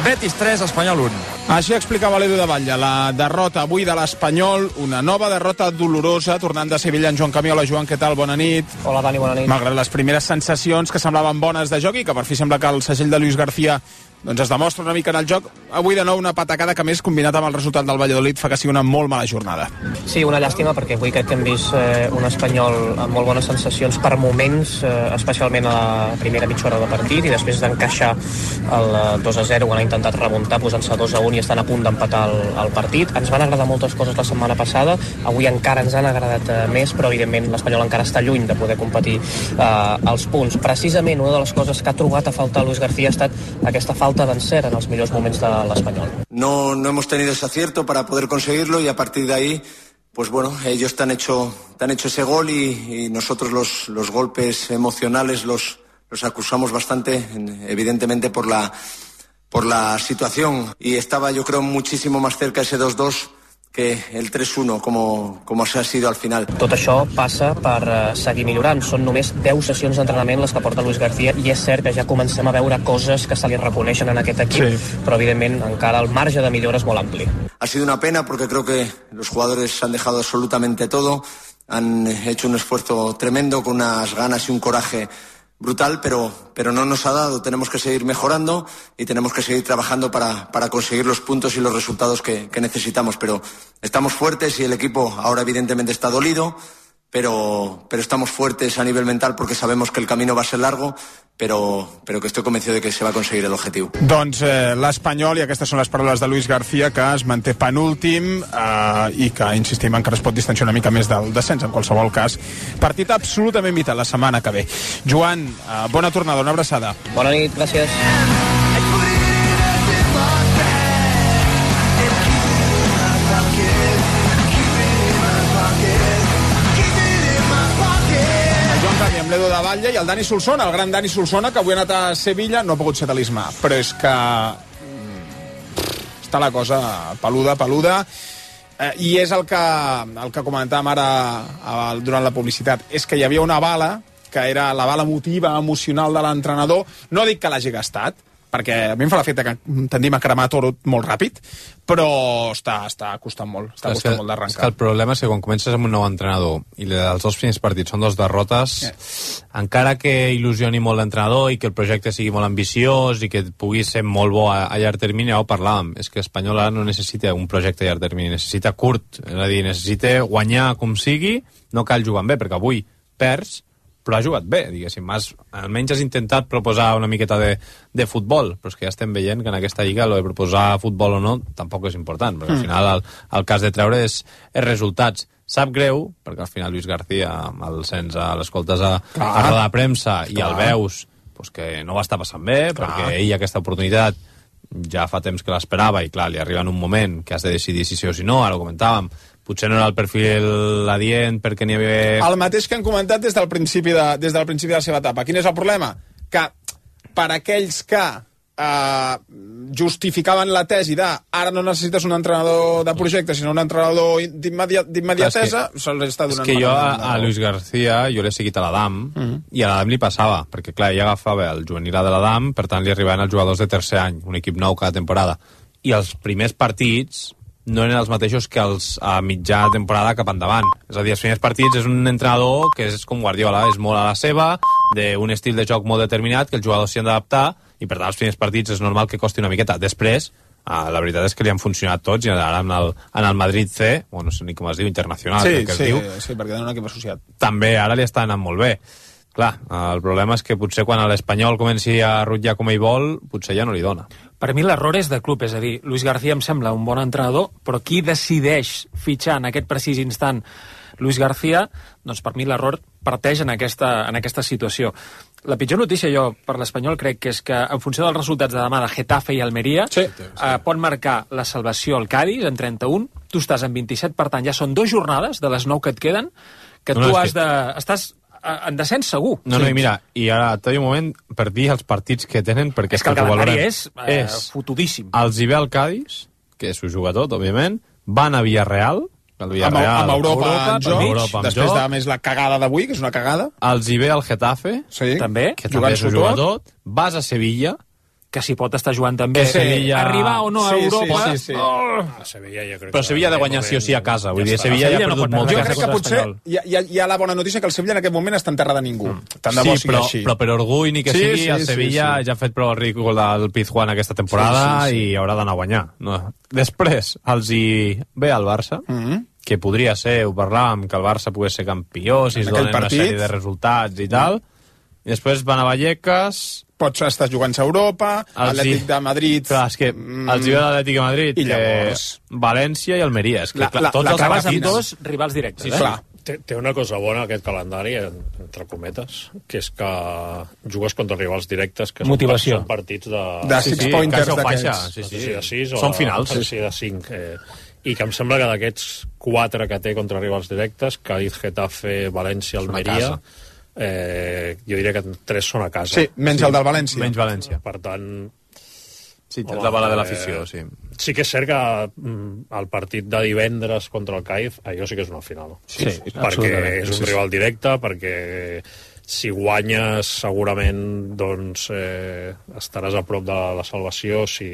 Betis tres, Espanyol un. Així explicava l'Edu de Batlle, la derrota avui de l'Espanyol, una nova derrota dolorosa, tornant de Sevilla en Joan Camiola. Joan, què tal? Bona nit. Hola, Dani, bona nit. Malgrat les primeres sensacions que semblaven bones de joc i que per fi sembla que el segell de Luis García doncs es demostra una mica en el joc, avui de nou una patacada que més combinat amb el resultat del Valladolid fa que sigui una molt mala jornada. Sí, una llàstima perquè avui crec que hem vist eh, un Espanyol amb molt bones sensacions per moments, eh, especialment a la primera mitja hora de partit i després d'encaixar el dos a zero quan ha intentat remuntar posant-se dos a un i estan a punt d'empatar el, el partit. Ens van agradar moltes coses la setmana passada, avui encara ens han agradat eh, més, però evidentment l'Espanyol encara està lluny de poder competir eh, els punts. Precisament una de les coses que ha trobat a faltar Luis García ha estat aquesta falta d'encert en els millors moments de l'Espanyol. No, no hemos tenido ese acierto para poder conseguirlo y a partir de ahí, pues bueno, ellos te han hecho, te han hecho ese gol y, y nosotros los, los golpes emocionales los, los acusamos bastante, evidentemente por la, por la situación. Y estaba, yo creo, muchísimo más cerca ese dos dos que el tres uno, como, como se ha sido al final. Tot això passa per uh, seguir millorant. Són només deu sessions d'entrenament les que porta Luis García i és cert que ja comencem a veure coses que se li reconeixen en aquest equip, sí. Però evidentment encara el marge de millora és molt ampli. Ha sido una pena porque creo que los jugadores han dejado absolutamente todo, han hecho un esfuerzo tremendo con unas ganas y un coraje brutal, pero, pero no nos ha dado. Tenemos que seguir mejorando y tenemos que seguir trabajando para, para conseguir los puntos y los resultados que, que necesitamos. Pero estamos fuertes y el equipo ahora evidentemente está dolido, pero, pero estamos fuertes a nivel mental porque sabemos que el camino va a ser largo, però, però que estic convencido de que se va a conseguir el objetivo. Doncs eh, l'Espanyol, i aquestes són les paraules de Luis García, que es manté penúltim eh, i que, insistim, encara es pot distanciar una mica més del descens, en qualsevol cas. Partit absolutament vital la setmana que ve. Joan, eh, bona tornada, una abraçada. Bona nit, gràcies. Amb l'Edu de Batlle i el Dani Solsona, el gran Dani Solsona, que avui ha anat a Sevilla, no ha pogut ser talismà, però és que està la cosa peluda, peluda, eh, i és el que, el que comentàvem ara eh, durant la publicitat, és que hi havia una bala, que era la bala emotiva, emocional de l'entrenador, no dic que l'hagi gastat, perquè a mi em fa l'efecte que tendim a cremar Toro molt ràpid, però està, està costant molt, està costant molt d'arrencar. És que el problema és que quan comences amb un nou entrenador i els dos primers partits són dos derrotes, yeah. encara que il·lusioni molt l'entrenador i que el projecte sigui molt ambiciós i que pugui ser molt bo a, a llarg termini, ja ho parlàvem, és que Espanyol ara no necessita un projecte a llarg termini, necessita curt, és a dir, necessita guanyar com sigui, no cal jugar bé, perquè avui perds, però ha jugat bé, diguéssim. Has, almenys has intentat proposar una miqueta de, de futbol, però és que ja estem veient que en aquesta lliga lo de proposar futbol o no tampoc és important, perquè al final el, el cas de treure és, és resultats. Sap greu, perquè al final Luis García, el sents a l'escoltes a, a roda de premsa i el veus pues, que no va estar passant bé, clar. Perquè ell aquesta oportunitat ja fa temps que l'esperava i clar, li arriba en un moment que has de decidir si sí o si no, ara ho comentàvem, potser no era el perfil adient perquè n'hi havia... El mateix que han comentat des del principi de, des del principi de la seva etapa. Quin és el problema? Que per aquells que eh, justificaven la tesi de ara no necessites un entrenador de projecte sinó un entrenador d'immediatesa, se'ls està donant... És que jo a, a Luis García jo l'he seguit a l'Adam uh -huh. i a l'Adam li passava, perquè clar, ell agafava el juvenil de l'Adam, per tant li arribaven els jugadors de tercer any, un equip nou cada temporada, i els primers partits no eren els mateixos que els a mitjà temporada cap endavant. És a dir, els primers partits és un entrenador que és com Guardiola, és molt a la seva, d'un estil de joc molt determinat, que els jugadors s'hi han d'adaptar, i per tant els primers partits és normal que costi una miqueta. Després, eh, la veritat és que li han funcionat tots, i ara en el, en el Madrid C, bueno, no sé ni com es diu, internacional, sí, crec que sí, es diu, sí, perquè tenen un equip associat. També ara li està anant molt bé. Clar, el problema és que potser quan l'Espanyol comenci a rutllar com ell vol, potser ja no li dona. Per mi l'error és de club, és a dir, Luis García em sembla un bon entrenador, però qui decideix fitxar en aquest precís instant Luis García, doncs per mi l'error parteix en aquesta, en aquesta situació. La pitjor notícia jo per l'Espanyol crec que és que en funció dels resultats de demà de Getafe i Almeria sí. eh, pot marcar la salvació al Cádiz en trenta-un, tu estàs en vint-i-set, per tant ja són dues jornades de les nou que et queden que no, tu no, has que... de... estàs en descens segur. No, no, i mira, i ara tot un moment per dir els partits que tenen, perquè és que el calendari és, eh, és fotudíssim. Els hi ve al Cádiz, que s'ho juga tot, òbviament, van a Villarreal, el Villarreal amb, amb Europa, Europa, en joc, Europa amb després joc. de més la cagada d'avui, que és una cagada. Els hi ve al Getafe, sí, també, que també s'ho juga tot. Vas a Sevilla, que s'hi pot estar jugant també. Sí. Sevilla... Arribar o no a sí, Europa... Sí, sí, sí. Oh! A Sevilla jo crec però Sevilla ha de guanyar sí o sí a casa. Vull dir, Sevilla ja ha perdut no molt. Jo crec que potser hi ha, hi, ha, hi ha la bona notícia que el Sevilla en aquest moment està en terra de ningú. Mm. Tant de bo sí, però, així. però per orgull ni que sí, sigui, sí, el Sevilla sí, sí. ja ha fet prou el ridícul del Pizjuán aquesta temporada sí, sí, sí. i haurà d'anar a guanyar. No. Després els hi ve al Barça, mm -hmm. que podria ser, ho parlàvem, que el Barça pogués ser campió, si es donen partit. Una sèrie de resultats i tal. I després van a Vallecas... Pots estar jugant a Europa, Atlètic de Madrid... Clar, és que mm, els hi ve l'Atlètic de Madrid, i llavors... que València i Almeria. És que, la, clar, la, tots la els acabes amb partits... dos rivals directes, sí, eh? Clar. Té, té una cosa bona aquest calendari, entre cometes, que és que jugues contra rivals directes, que Motivació. són partits de... De six sí, sí, pointers d'aquests. Sí, sí, de sis o són de, finals. Sí, sí, de cinc. Eh, I que em sembla que d'aquests quatre que té contra rivals directes, Cádiz, Getafe, València, Almeria... Eh, jo diria que tres són a casa. Sí, menys sí, el del València. Menys València. Per tant... Sí, tens la bala de l'afició, sí. Sí que és cert que mm, el partit de divendres contra el Cádiz, allò sí que és una final. Sí, sí perquè és un sí, rival directe, perquè si guanyes segurament doncs eh, estaràs a prop de la salvació, si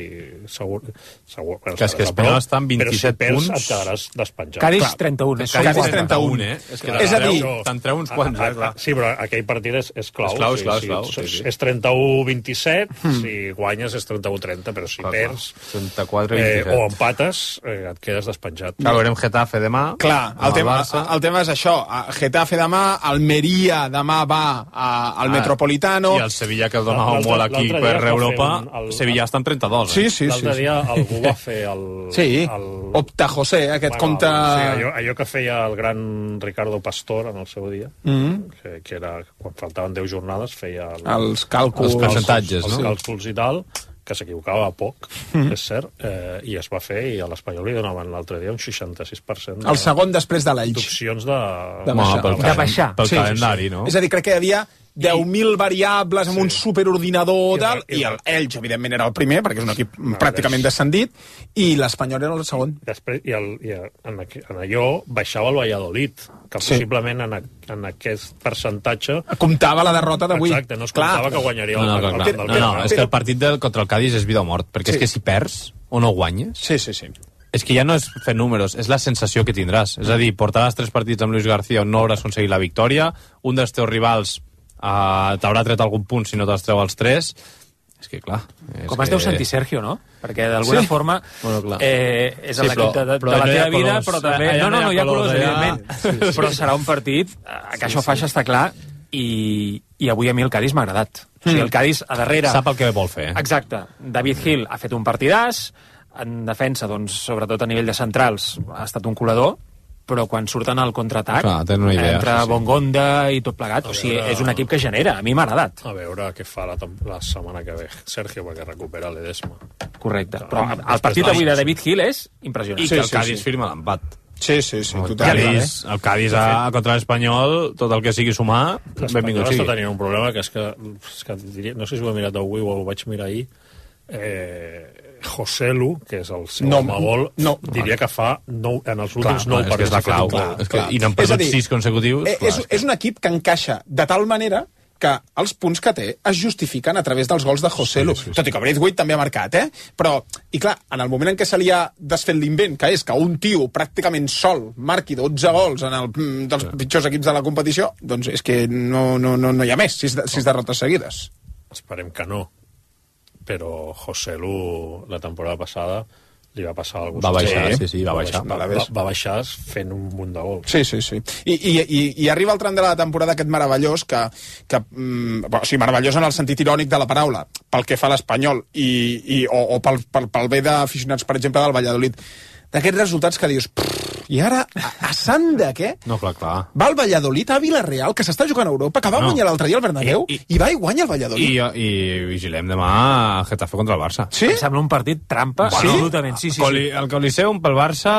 segur, segur que és que Espanyol està amb vint-i-set però si punts, perds et quedaràs despatxat. Cádiz trenta-un, eh? Cádiz trenta-un, eh? És, que és a dir, te'n treu uns quants, eh? Clar. Sí, però aquell partit és, és clau. És clau, és sí, clau, sí, clau, sí, sí, sí. És trenta-u vint-i-set, mm. si guanyes és trenta-u trenta, però si clar, perds trenta-quatre eh, vint-i-set o empates, eh, et quedes despenjat. Clar, veurem Getafe demà. Clar, el, el, tema, el tema és això. Getafe demà, Almeria demà va a, al ah, Metropolitano. I el Sevilla, que el donava molt aquí per Europa, un, el, Sevilla està en trenta-dos. Sí, sí, L'altre sí, dia sí. algú va fer el... Sí, el... Opta José, aquest bueno, compte... Sí, allò, allò que feia el gran Ricardo Pastor en el seu dia, mm -hmm. que, que era, quan faltaven deu jornades, feia... El, els càlculs... Els percentatges, els, no? Els càlculs i tal, que s'equivocava poc, mm. és cert, eh, i es va fer, i a l'Espanyol li donaven l'altre dia un seixanta-sis per cent. El segon després de l'Elx. D'opcions de... De baixar. Pel, de baixar. Pel sí, calendari, sí, sí. no? És a dir, crec que hi havia deu mil variables amb sí. un superordinador I, tal, i, i el Elx, evidentment, era el primer, perquè és un equip no, pràcticament descendit, i l'Espanyol era el segon. Després, i, el, i en, en allò baixava el Valladolid, que sí. possiblement en, a, en aquest percentatge... Comptava la derrota d'avui. Exacte, no es comptava clar. que guanyaria no, no, el, clar, el, clar. el, el, no, no, és que el partit del, contra el Cádiz és vida o mort, perquè sí. és que si perds o no guanyes... Sí, sí, sí. És que ja no és fer números, és la sensació que tindràs. És a dir, portaràs tres partits amb Luis García on no hauràs aconseguit la victòria, un dels teus rivals uh, t'haurà tret algun punt si no te'ls treu els tres. És que, clar... És Com que... es deu sentir Sergio, no? Perquè d'alguna sí. forma bueno, eh, és sí, l'equip de, de, de la teva vida, colors. Però també... Allà no, no, no hi ha colors, allà... evidentment. Sí, sí. Però serà un partit que això sí, faixa, està clar, i, i avui a mi el Cádiz m'ha agradat. Mm. O sigui, el Cádiz a darrere... Sap el que vol fer. Exacte. David Gil ha fet un partidàs, en defensa, doncs, sobretot a nivell de centrals, ha estat un colador, però quan surten al contraatac, una idea, entre sí, sí. Bongonda i tot plegat, o sigui, és un equip que genera, a mi m'ha agradat. A veure què fa la, la setmana que ve Sergio, perquè recupera l'Edesma. Correcte, però el partit avui de David Gil és impressionant. I sí, que el sí, Cádiz sí. firma l'empat. Sí, sí, sí. El Cádiz, el Cádiz a, contra l'Espanyol, tot el que sigui sumar, benvingut sigui. L'Espanyol tenia un problema, que és que, és que diria, no sé si ho he mirat avui o ho vaig mirar ahir, eh, Joselu, que és el seu no, home-gol, no, diria que fa nou, en els últims clar, nou partits. És que és la clau, clar, és que, i n'han perdut sis consecutius. Eh, és, és un equip que encaixa de tal manera que els punts que té es justifiquen a través dels gols de Joselu. Sí, sí, sí. Tot i que Braithwaite també ha marcat, eh? Però, i clar, en el moment en què se li ha desfet l'invent, que és que un tio pràcticament sol marqui dotze gols en el dels sí. pitjors equips de la competició, doncs és que no, no, no, no hi ha més, sis, sis derrotes seguides. Esperem que no. Però Joselu, la temporada passada, li va passar alguna cosa. Va baixar, sí, sí, va baixar. Va, va, va baixar fent un munt de gols. Sí, sí, sí. I, i, i, i arriba el tram de la temporada aquest meravellós, que, que mm, o sigui, meravellós en el sentit irònic de la paraula, pel que fa a l'Espanyol, i, i, o, o pel, pel, pel bé d'aficionats, per exemple, del Valladolid. D'aquests resultats que dius, i ara, a, a sant de què? No, clar, clar. Va el Valladolid a Vila-real, que s'està jugant a Europa, que va no. guanyar l'altre dia al Bernabéu, I, i, i va i guanya el Valladolid. I, i vigilem demà a Getafe contra el Barça. Sí? Em sembla un partit trampa, bueno, absolutament. Sí, sí, Coli, sí. El Coliseum pel Barça...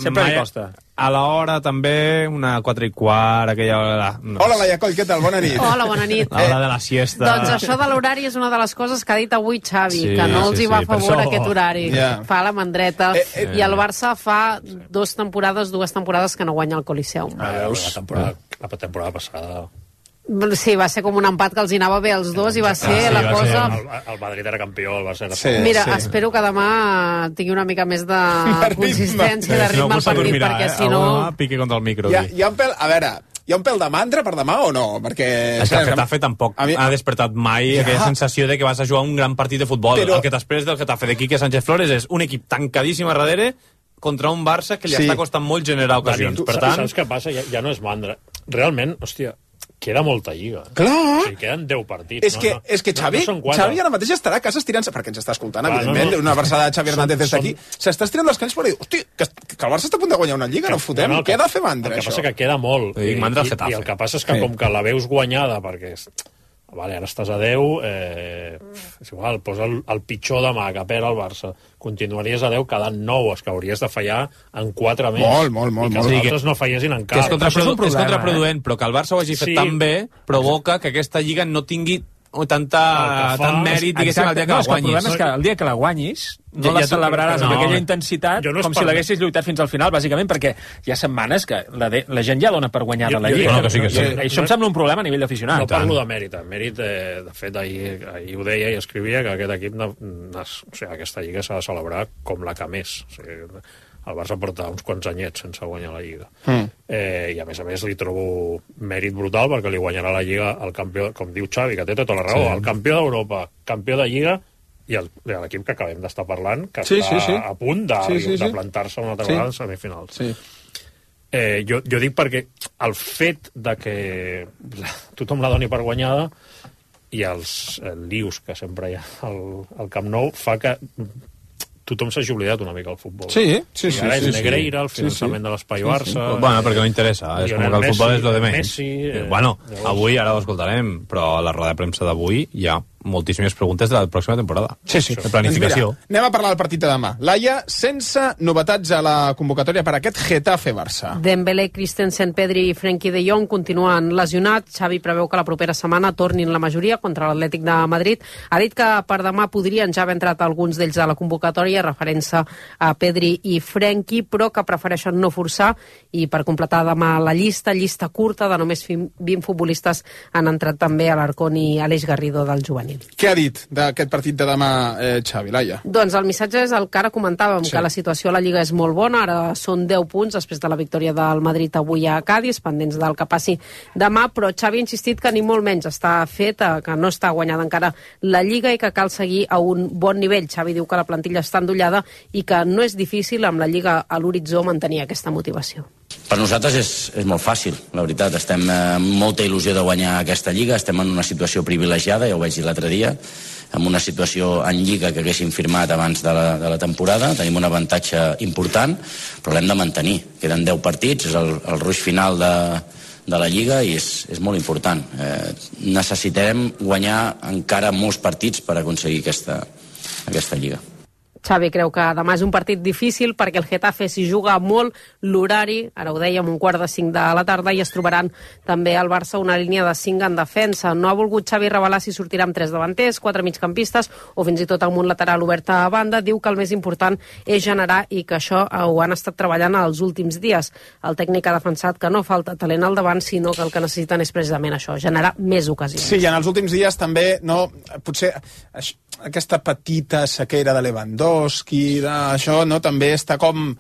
Sempre li costa. A l'hora també, una quatre i quart, aquella hora... No. Hola, Laia Coll, què tal? Bona nit. Hola, bona nit. L'hora de la siesta. Doncs això de l'horari és una de les coses que ha dit avui Xavi, sí, que no els sí, hi va sí, a favor això... aquest horari. Yeah. Fa la mandreta. Eh, eh, I el Barça fa dos temporades, dues temporades que no guanya el Coliseum. Ah, veus? La temporada, la temporada passada... Sí, va ser com un empat que els hi anava bé als dos i va ser ah, sí, la va cosa... Ser... El, el Madrid era campió, el Barça era... Sí, Mira, sí. espero que demà tingui una mica més de consistència, de ritme al partit, dormirà, perquè eh? si no... Pique contra el micro. Hi ha, hi ha un pèl... A veure, hi ha un pèl de mandra per demà o no? Perquè... És que el Getafe tampoc mi... ha despertat mai ja. aquella sensació de que vas a jugar un gran partit de futbol. Però... El que t'esperes del Getafe de Quique Sánchez Flores és un equip tancadíssim a darrere contra un Barça que li sí. està costant molt generar ocasions. Tu, per tant... Saps què passa? Ja, ja no és mandra. Realment, hòstia, queda molta lliga. Clar! O sigui, queden deu partits. És que, no, no, és que Xavi, no, no Xavi ara mateix estarà a casa estirant-se, perquè ens està escoltant, Clar, evidentment, no, no. una versada de Xavi Hernández des d'aquí, som... s'està estirant les canes per dir, hosti, que, que el Barça està a punt de guanyar una lliga, que, no fotem, no, no, què ha de fer mandra, això? El que això? passa que queda molt. I, mandra i, I el que passa és que sí. com que la veus guanyada, perquè... Vale, ara estàs a deu, eh, és igual, posa el, el pitjor demà que perd el Barça, continuaries a deu quedant nou, és que hauries de fallar en quatre més. Molt, molt, molt. I que els molt. altres no fallessin en cap. Que és, contraprodu és, és contraproduent, eh? Però que el Barça ho hagi fet sí. tan bé provoca que aquesta lliga no tingui o tanta, tant mèrit, diguéssim, el dia que no, la guanyis. El problema és que el dia que la guanyis no ja, la ja celebraràs no, amb aquella intensitat no com si l'haguessis lluitat fins al final, bàsicament, perquè hi ha setmanes que la, de, la gent ja dona per guanyada la lliga. No, que sí, que sí. I això em sembla un problema a nivell d'aficionat. No parlo de mèrit. Mèrit, eh, de fet, ahir, ahir ho deia i escrivia que aquest equip, no, no, o sigui, aquesta lliga s'ha de celebrar com la que més. O sigui, el Barça porta uns quants anyets sense guanyar la Lliga. Mm. Eh, I a més a més li trobo mèrit brutal perquè li guanyarà la Lliga el campió, com diu Xavi, que té tota la raó, sí. el campió d'Europa, campió de Lliga i l'equip que acabem d'estar parlant, que sí, està sí, sí. a punt de, sí, sí, sí. de plantar-se una altra sí. vegada en semifinals. Sí. Eh, jo, jo dic perquè el fet de que tothom la doni per guanyada i els eh, lius que sempre hi ha al, al Camp Nou fa que tothom s'hagi oblidat una mica del futbol. Sí, sí, sí. I ara sí, és Negreira, sí, el finançament sí, sí. de l'Espai sí, Barça... Sí. Bueno, perquè no interessa. És com que el futbol és lo de menys. Messi, eh, bueno, llavors... avui, ara ho escoltarem, però a la roda de premsa d'avui ja moltíssimes preguntes de la pròxima temporada. Sí, sí. De planificació. Doncs mira, anem a parlar del partit de demà. Laia, sense novetats a la convocatòria per aquest Getafe-Barça. Dembélé, Christensen, Pedri i Frenkie de Jong continuen lesionats. Xavi preveu que la propera setmana tornin la majoria contra l'Atlètic de Madrid. Ha dit que per demà podrien ja haver entrat alguns d'ells a la convocatòria, referent-se a Pedri i Frenkie, però que prefereixen no forçar, i per completar demà la llista, llista curta de només vint futbolistes, han entrat també Alarcón i Aleix Garrido del juvenil. Què ha dit d'aquest partit de demà, eh, Xavi, Laia? Doncs el missatge és el que ara comentàvem, Sí. que la situació a la Lliga és molt bona, ara són deu punts després de la victòria del Madrid avui a Cádiz, pendents del que passi demà, però Xavi ha insistit que ni molt menys està fet, eh, que no està guanyada encara la Lliga i que cal seguir a un bon nivell. Xavi diu que la plantilla està endollada i que no és difícil amb la Lliga a l'horitzó mantenir aquesta motivació. Per nosaltres és, és molt fàcil, la veritat. Estem eh, amb molta il·lusió de guanyar aquesta Lliga, estem en una situació privilegiada, ja ho vaig dir l'altre dia, amb una situació en Lliga que haguéssim firmat abans de la, de la temporada, tenim un avantatge important, però l'hem de mantenir. Queden deu partits, és el, el ruix final de, de la Lliga i és, és molt important. Eh, necessitarem guanyar encara molts partits per aconseguir aquesta, aquesta Lliga. Xavi creu que demà és un partit difícil perquè el Getafe s'hi juga molt, l'horari, ara ho dèiem, un quart de cinc de la tarda, i es trobaran també al Barça una línia de cinc en defensa. No ha volgut Xavi revelar si sortirà amb tres davanters, quatre migcampistes o fins i tot amb un lateral obert a banda. Diu que el més important és generar i que això ho han estat treballant els últims dies. El tècnic ha defensat que no falta talent al davant, sinó que el que necessiten és precisament això, generar més ocasions. Sí, i en els últims dies també, no, potser això, aquesta petita sequera de Lewandowski, d'això, no, també està com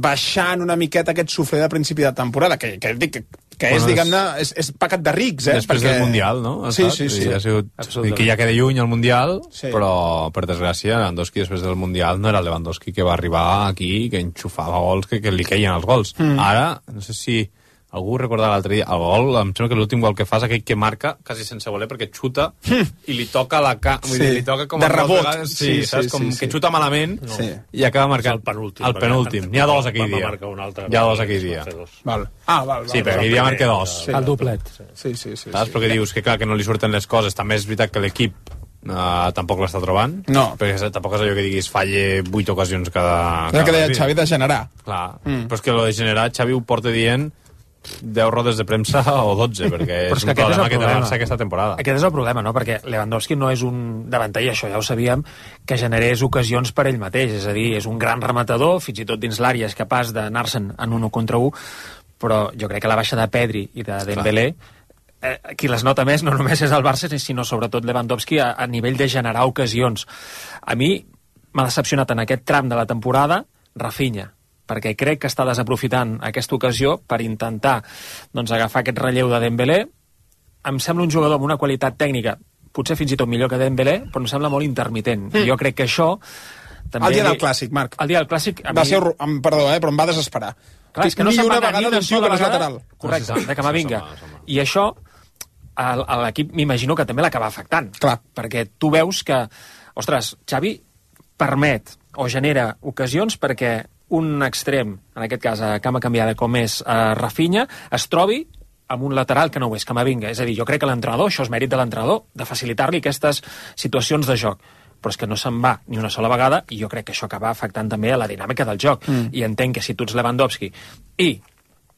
baixant una miqueta aquest sofre de principi de temporada, que, que, que, que és, Bueno, diguem-ne, és, és pecat de rics, eh? Després perquè... del Mundial, no? Ha Sí, estat, sí, sí. Ha sigut, que ja queda lluny el Mundial, Sí. però, per desgràcia, Lewandowski després del Mundial no era el Lewandowski que va arribar aquí, que enxufava gols, que, que li queien els gols. Mm. Ara, no sé si algú recordava l'altre dia, el gol, em sembla que l'últim gol que fa és aquell que marca quasi sense voler, perquè xuta i li toca la ca... Vull Sí. dir, li toca com De a dues rebot. vegades, sí, Sí, saps? sí, Com sí, que sí. xuta malament Sí. i acaba marcant. El penúltim. El penúltim. N'hi ha dos aquell Van dia. marcar un altre. Hi ha dos aquell dia. Val. Ah, val, val. Sí, perquè aquell dia marca dos. Sí. El doblet. Sí, sí, sí. Saps? Perquè dius que, clar, que no li surten les coses. També és veritat que l'equip uh, tampoc l'està trobant. No. Perquè tampoc és allò que diguis falle vuit ocasions cada... És el que cada deia partit. Xavi de generar. Clar, Mm. però és que lo de generar, Xavi ho porta dient deu rodes de premsa o dotze, perquè Però és és un que aquest és problema el que té problema. Barça aquesta temporada. Aquest és el problema, no? Perquè Lewandowski no és un davanter, i això ja ho sabíem, que generés ocasions per ell mateix. És a dir, és un gran rematador, fins i tot dins l'àrea és capaç d'anar-se'n en un contra un, però jo crec que la baixa de Pedri i de Dembélé, eh, qui les nota més no només és el Barça, sinó sobretot Lewandowski a, a nivell de generar ocasions. A mi m'ha decepcionat en aquest tram de la temporada Rafinha, perquè crec que està desaprofitant aquesta ocasió per intentar doncs, agafar aquest relleu de Dembélé. Em sembla un jugador amb una qualitat tècnica potser fins i tot millor que Dembélé, però em sembla molt intermitent. Mm. Jo crec que això... També El dia del Clàssic, Marc. El dia del Clàssic... Va ser, em, perdó, eh, però em va desesperar. Clar, és que no ni se'n va una anar vegada ni d'un tio que no és lateral. Correcte, No, sí, sí. de Camavinga. I això a, a l'equip m'imagino que també l'acaba afectant. Clar. Perquè tu veus que, ostres, Xavi permet o genera ocasions perquè un extrem, en aquest cas a cama canviada com és uh, Rafinha, es trobi amb un lateral que no ho és, Camavinga. És a dir, jo crec que l'entrenador, això és mèrit de l'entrenador, de facilitar-li aquestes situacions de joc. Però és que no se'n va ni una sola vegada i jo crec que això acaba afectant també a la dinàmica del joc. Mm. I entenc que si tu ets Lewandowski i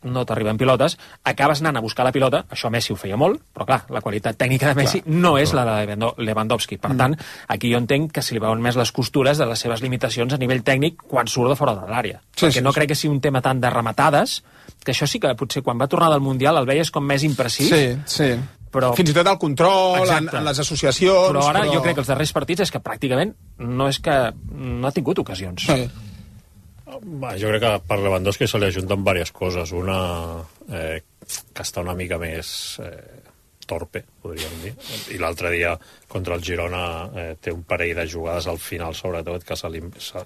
no t'arriben pilotes, acabes anant a buscar la pilota, això Messi ho feia molt, però clar, la qualitat tècnica de Messi Clar. no és la de Lewandowski. Per Mm. tant, aquí jo entenc que se li veuen més les costures de les seves limitacions a nivell tècnic quan surt de fora de l'àrea. Sí, Perquè sí, no sí. crec que sigui un tema tant de rematades, que això sí que potser quan va tornar del Mundial el veies com més imprecís. Sí, sí. Però... Fins i tot el control, en, Exacte. en les associacions... Però ara però... jo crec que els darrers partits és que pràcticament no és que no ha tingut ocasions. Sí. Va, jo crec que per Lewandowski se li ajunten diverses coses. Una, eh, que està una mica més eh, torpe, podríem dir. I l'altre dia, contra el Girona, eh, té un parell de jugades al final, sobretot, que se li se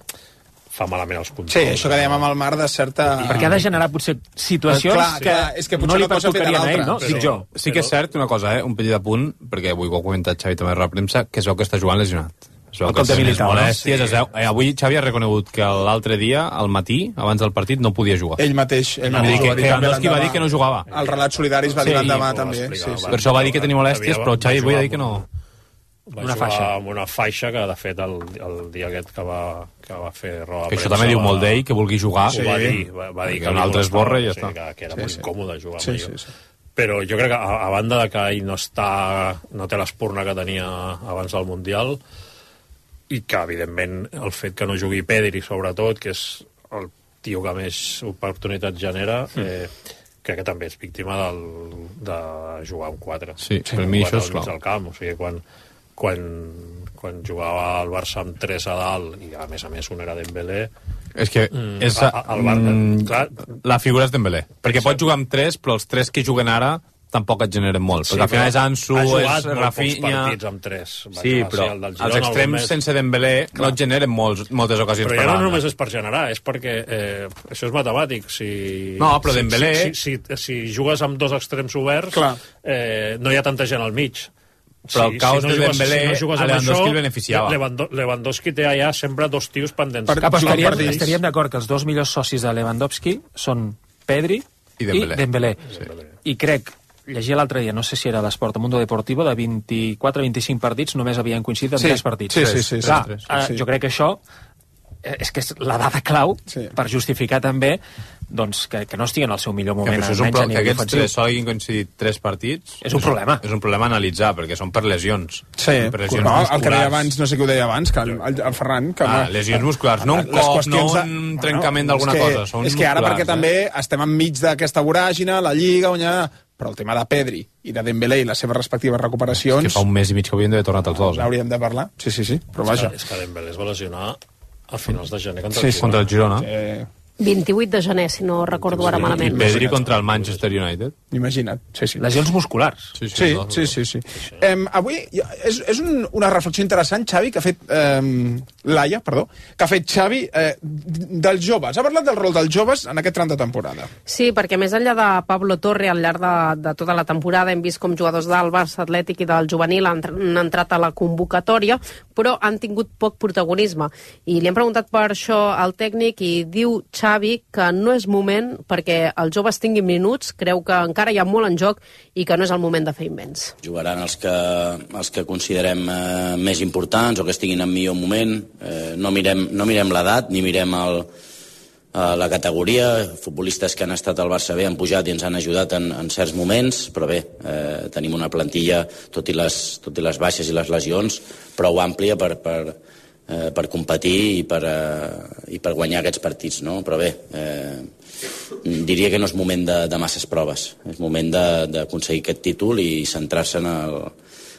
fa malament els controls. Sí, això que dèiem amb el Mar de certa... Perquè ha de generar potser situacions Clar, que, clar, és que potser no li una cosa feta pertocarien a ell, l'altra. no? Però- Dic jo. Sí que és cert una cosa, eh? Un petit apunt, perquè avui ho ha comentat Xavi també a la premsa, que es veu que està jugant lesionat. Es veu El que cop de té més militar, no? molèsties, Sí. es veu... eh, avui Xavi ha reconegut que l'altre dia, al matí, abans del partit, no podia jugar. Ell mateix. Ell No, mateix que- ho va dir que també Lewandowski va l'endemà. dir que no jugava. El relat solidari es va dir Sí, l'endemà, ho va també. explicar, Sí, sí. va. Per això va dir que tenia molèsties, Havia- però va Xavi avui jugar ha dit que no... Va una jugar faixa. amb una faixa que, de fet, el, el dia aquest que va, que va fer roda de Que això premsa també diu va- molt d'ell, que vulgui jugar. Ho va dir, va, va dir Que un altre es borra i ja està. Que, que era Sí, molt sí. incòmode jugar Sí, amb sí, ell. sí. Però jo crec que, a, a banda de que ell no està, no té l'espurna que tenia abans del Mundial, i que, evidentment, el fet que no jugui Pedri, sobretot, que és el tio que més oportunitats genera, eh, crec que també és víctima del, de jugar amb quatre. Sí, per mi això és Quatre al mig clau. del camp, o sigui, quan, quan, quan jugava el Barça amb tres a dalt, i a més a més un era Dembélé, És que Mm, és, a- a- el Bar- mm, clar. la figura és Dembélé. Perquè pots jugar amb tres, però els tres que juguen ara tampoc et generen molt. Sí, perquè al final però és Ansu, ha és jugat molt Rafinha... pocs partits amb tres. Va Sí, jugar, però sí, el del els Girona, extrems el Gómez. sense Dembélé no et generen molts, moltes ocasions Però per ja no banda. només és per generar, és perquè eh, això és matemàtic. Si, No, però si, Dembélé- Si, si, si, si jugues amb dos extrems oberts, eh, no hi ha tanta gent al mig. Però el caos de jugues- Dembélé, jugues a amb Lewandowski això, el beneficiava. Lewando- Lewandowski té allà sempre dos tios pendents. Per, però estaríem, estaríem d'acord que els dos millors socis de Lewandowski són Pedri I Dembélé. I, Dembélé. Sí. I crec, llegia l'altre dia, no sé si era l'Esport, a Mundo Deportivo, de vint-i-quatre a vint-i-cinc partits només havien coincidit en Sí. tres partits. Sí, sí, sí, sí. Clar, Sí, sí. eh, jo crec que això eh, és que és la dada clau sí. per justificar també doncs, que, que no estigui en el seu millor Que, moment, això és un almenys pro... a que nivell aquests ofensiu. tres solguin coincidit tres partits És un problema. És un problema a analitzar, perquè són per lesions. Sí, per lesions no, el musculars. que deia abans, no sé què ho deia abans, que el, el, el Ferran... Que Ah, lesions musculars, no un Les cop, qüestions no un trencament d'alguna és que, cosa, són És que ara, musculars, perquè eh? també estem enmig d'aquesta voràgina, la Lliga, guanyar... Però el tema de Pedri i de Dembélé i les seves respectives recuperacions... Que fa un mes i mig que havien d'haver tornat els dos. Eh? N'hauríem de parlar, sí, sí, sí, però vaja. És que Dembélé es va lesionar a finals de gener contra Sí, el sí. Girona. Contra el Girona. Eh, vint-i-vuit de gener, si no recordo ara I malament. Pedri contra el Manchester United. Imagina't, sí, sí. Lesions musculars. Sí, Sí, sí, sí. sí. Em, avui és, és un, una reflexió interessant, Xavi, que ha fet... Eh, Laia, perdó, que ha fet Xavi eh, dels joves. Ha parlat del rol dels joves en aquest tram de temporada. Sí, perquè més enllà de Pablo Torre, al llarg de, de tota la temporada hem vist com jugadors del Barça Atlètic i del juvenil han, han entrat a la convocatòria, però han tingut poc protagonisme. I li hem preguntat per això al tècnic i diu Xavi que no és moment perquè els joves tinguin minuts, creu que encara hi ha molt en joc i que no és el moment de fer invents. Jugaran els que, els que considerem eh, més importants o que estiguin en millor moment. Eh, no mirem, no mirem l'edat ni mirem el, eh, la categoria. Futbolistes que han estat al Barça B han pujat i ens han ajudat en, en certs moments, però bé, eh, tenim una plantilla, tot i, les, tot i les baixes i les lesions, prou àmplia per, per, eh, per competir i per, eh, i per guanyar aquests partits, no? Però bé, eh, diria que no és moment de, de masses proves, és moment de- d'aconseguir aquest títol i centrar-se en el,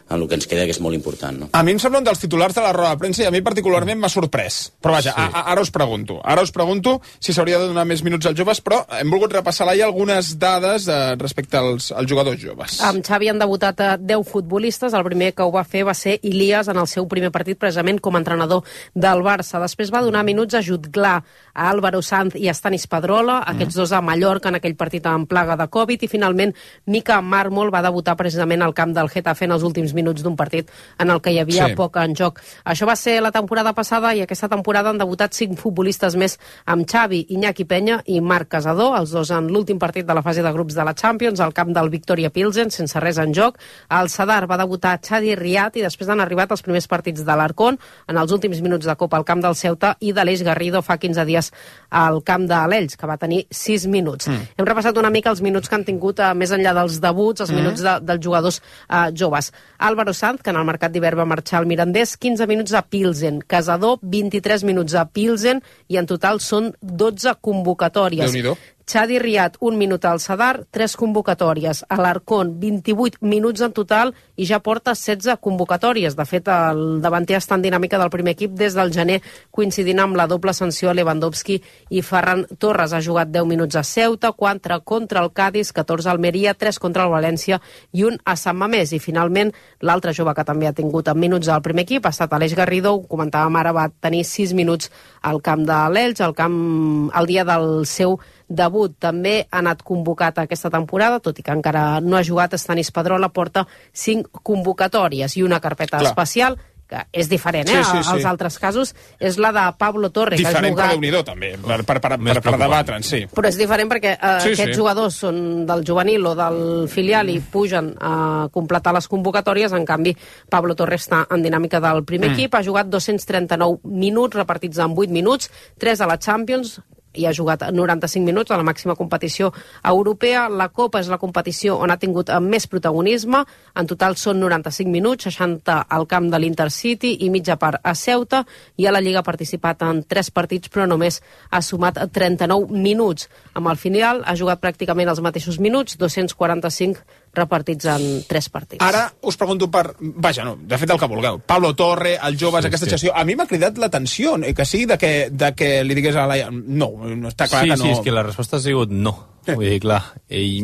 en el que ens queda, que és molt important, no? A mi em sembla un dels titulars de la roda de premsa i a mi particularment m'ha sorprès. Però vaja, sí. a, a, ara us pregunto. Ara us pregunto si s'hauria de donar més minuts als joves, però hem volgut repassar Laia algunes dades eh, respecte als, als jugadors joves. Amb Xavi han debutat a deu futbolistes. El primer que ho va fer va ser Ilias en el seu primer partit, precisament com a entrenador del Barça. Després va donar minuts a Jutglar, a Álvaro Sanz i a Stanis Pedrola, aquests dos a Mallorca en aquell partit amb plaga de Covid, i finalment Mika Marmol va debutar precisament al camp del Getafe en els últims minuts d'un partit en el que hi havia Sí. sí. poc en joc. Això va ser la temporada passada i aquesta temporada han debutat cinc futbolistes més amb Xavi, Iñaki Peña i Marc Casador, els dos en l'últim partit de la fase de grups de la Champions, al camp del Victoria Pilsen, sense res en joc. Al Sadar va debutar Chadi Riat i després han arribat els primers partits de l'Arcón en els últims minuts de Copa al camp del Ceuta i d'Aleix Garrido fa quinze dies al camp de l'Ells, que va tenir sis minuts. Mm. Hem repassat una mica els minuts que han tingut eh, més enllà dels debuts, els Mm. minuts de, dels jugadors eh, joves. Álvaro Sanz, que en el mercat d'hivern va marxar al Mirandés, quinze minuts a Pilsen. Casador, vint-i-tres minuts a Pilsen i en total són dotze convocatòries. Déu-n'hi-do. Chadi Riat, un minut al Sadar, tres convocatòries. A l'Arcón, vint-i-vuit minuts en total i ja porta setze convocatòries. De fet, el davanter està en dinàmica del primer equip des del gener, coincidint amb la doble sanció a Lewandowski i Ferran Torres. Ha jugat deu minuts a Ceuta, quatre contra el Cádiz, catorze a Almeria, tres contra el València i un a Sant Mamés. I finalment, l'altre jove que també ha tingut en minuts al primer equip ha estat Aleix Garrido, ho comentàvem ara, va tenir sis minuts al camp de l'Elx, al camp el dia del seu debut. També ha anat convocat aquesta temporada, tot i que encara no ha jugat. Stanis Pedrola porta cinc convocatòries i una carpeta Clar. especial que és diferent, eh? Sí, sí, sí. Els altres casos, és la de Pablo Torre, diferent, que ha jugat... però Déu-n'hi-do, també, per, per, per, per, per debatre'n, sí. Però és diferent perquè eh, Sí, aquests sí. jugadors són del juvenil o del filial i pugen a completar les convocatòries, en canvi Pablo Torre està en dinàmica del primer Mm. equip, ha jugat dos-cents trenta-nou minuts repartits en vuit minuts, tres a la Champions, i ha jugat noranta-cinc minuts a la màxima competició europea. La Copa és la competició on ha tingut més protagonisme. En total són noranta-cinc minuts, seixanta al camp de l'Intercity i mitja part a Ceuta. I a la Lliga ha participat en tres partits, però només ha sumat trenta-nou minuts. Amb el filial ha jugat pràcticament els mateixos minuts, dos-cents quaranta-cinc repartits en tres partits. Ara us pregunto per... Vaja, no, de fet el que vulgueu. Pablo Torre, els joves, Sí, aquesta sí. gestió... A mi m'ha cridat l'atenció, eh, que sí, de que, de que li digués a la... No, no està clar sí, que no... Sí, és que la resposta ha sigut no. Vull dir, clar, i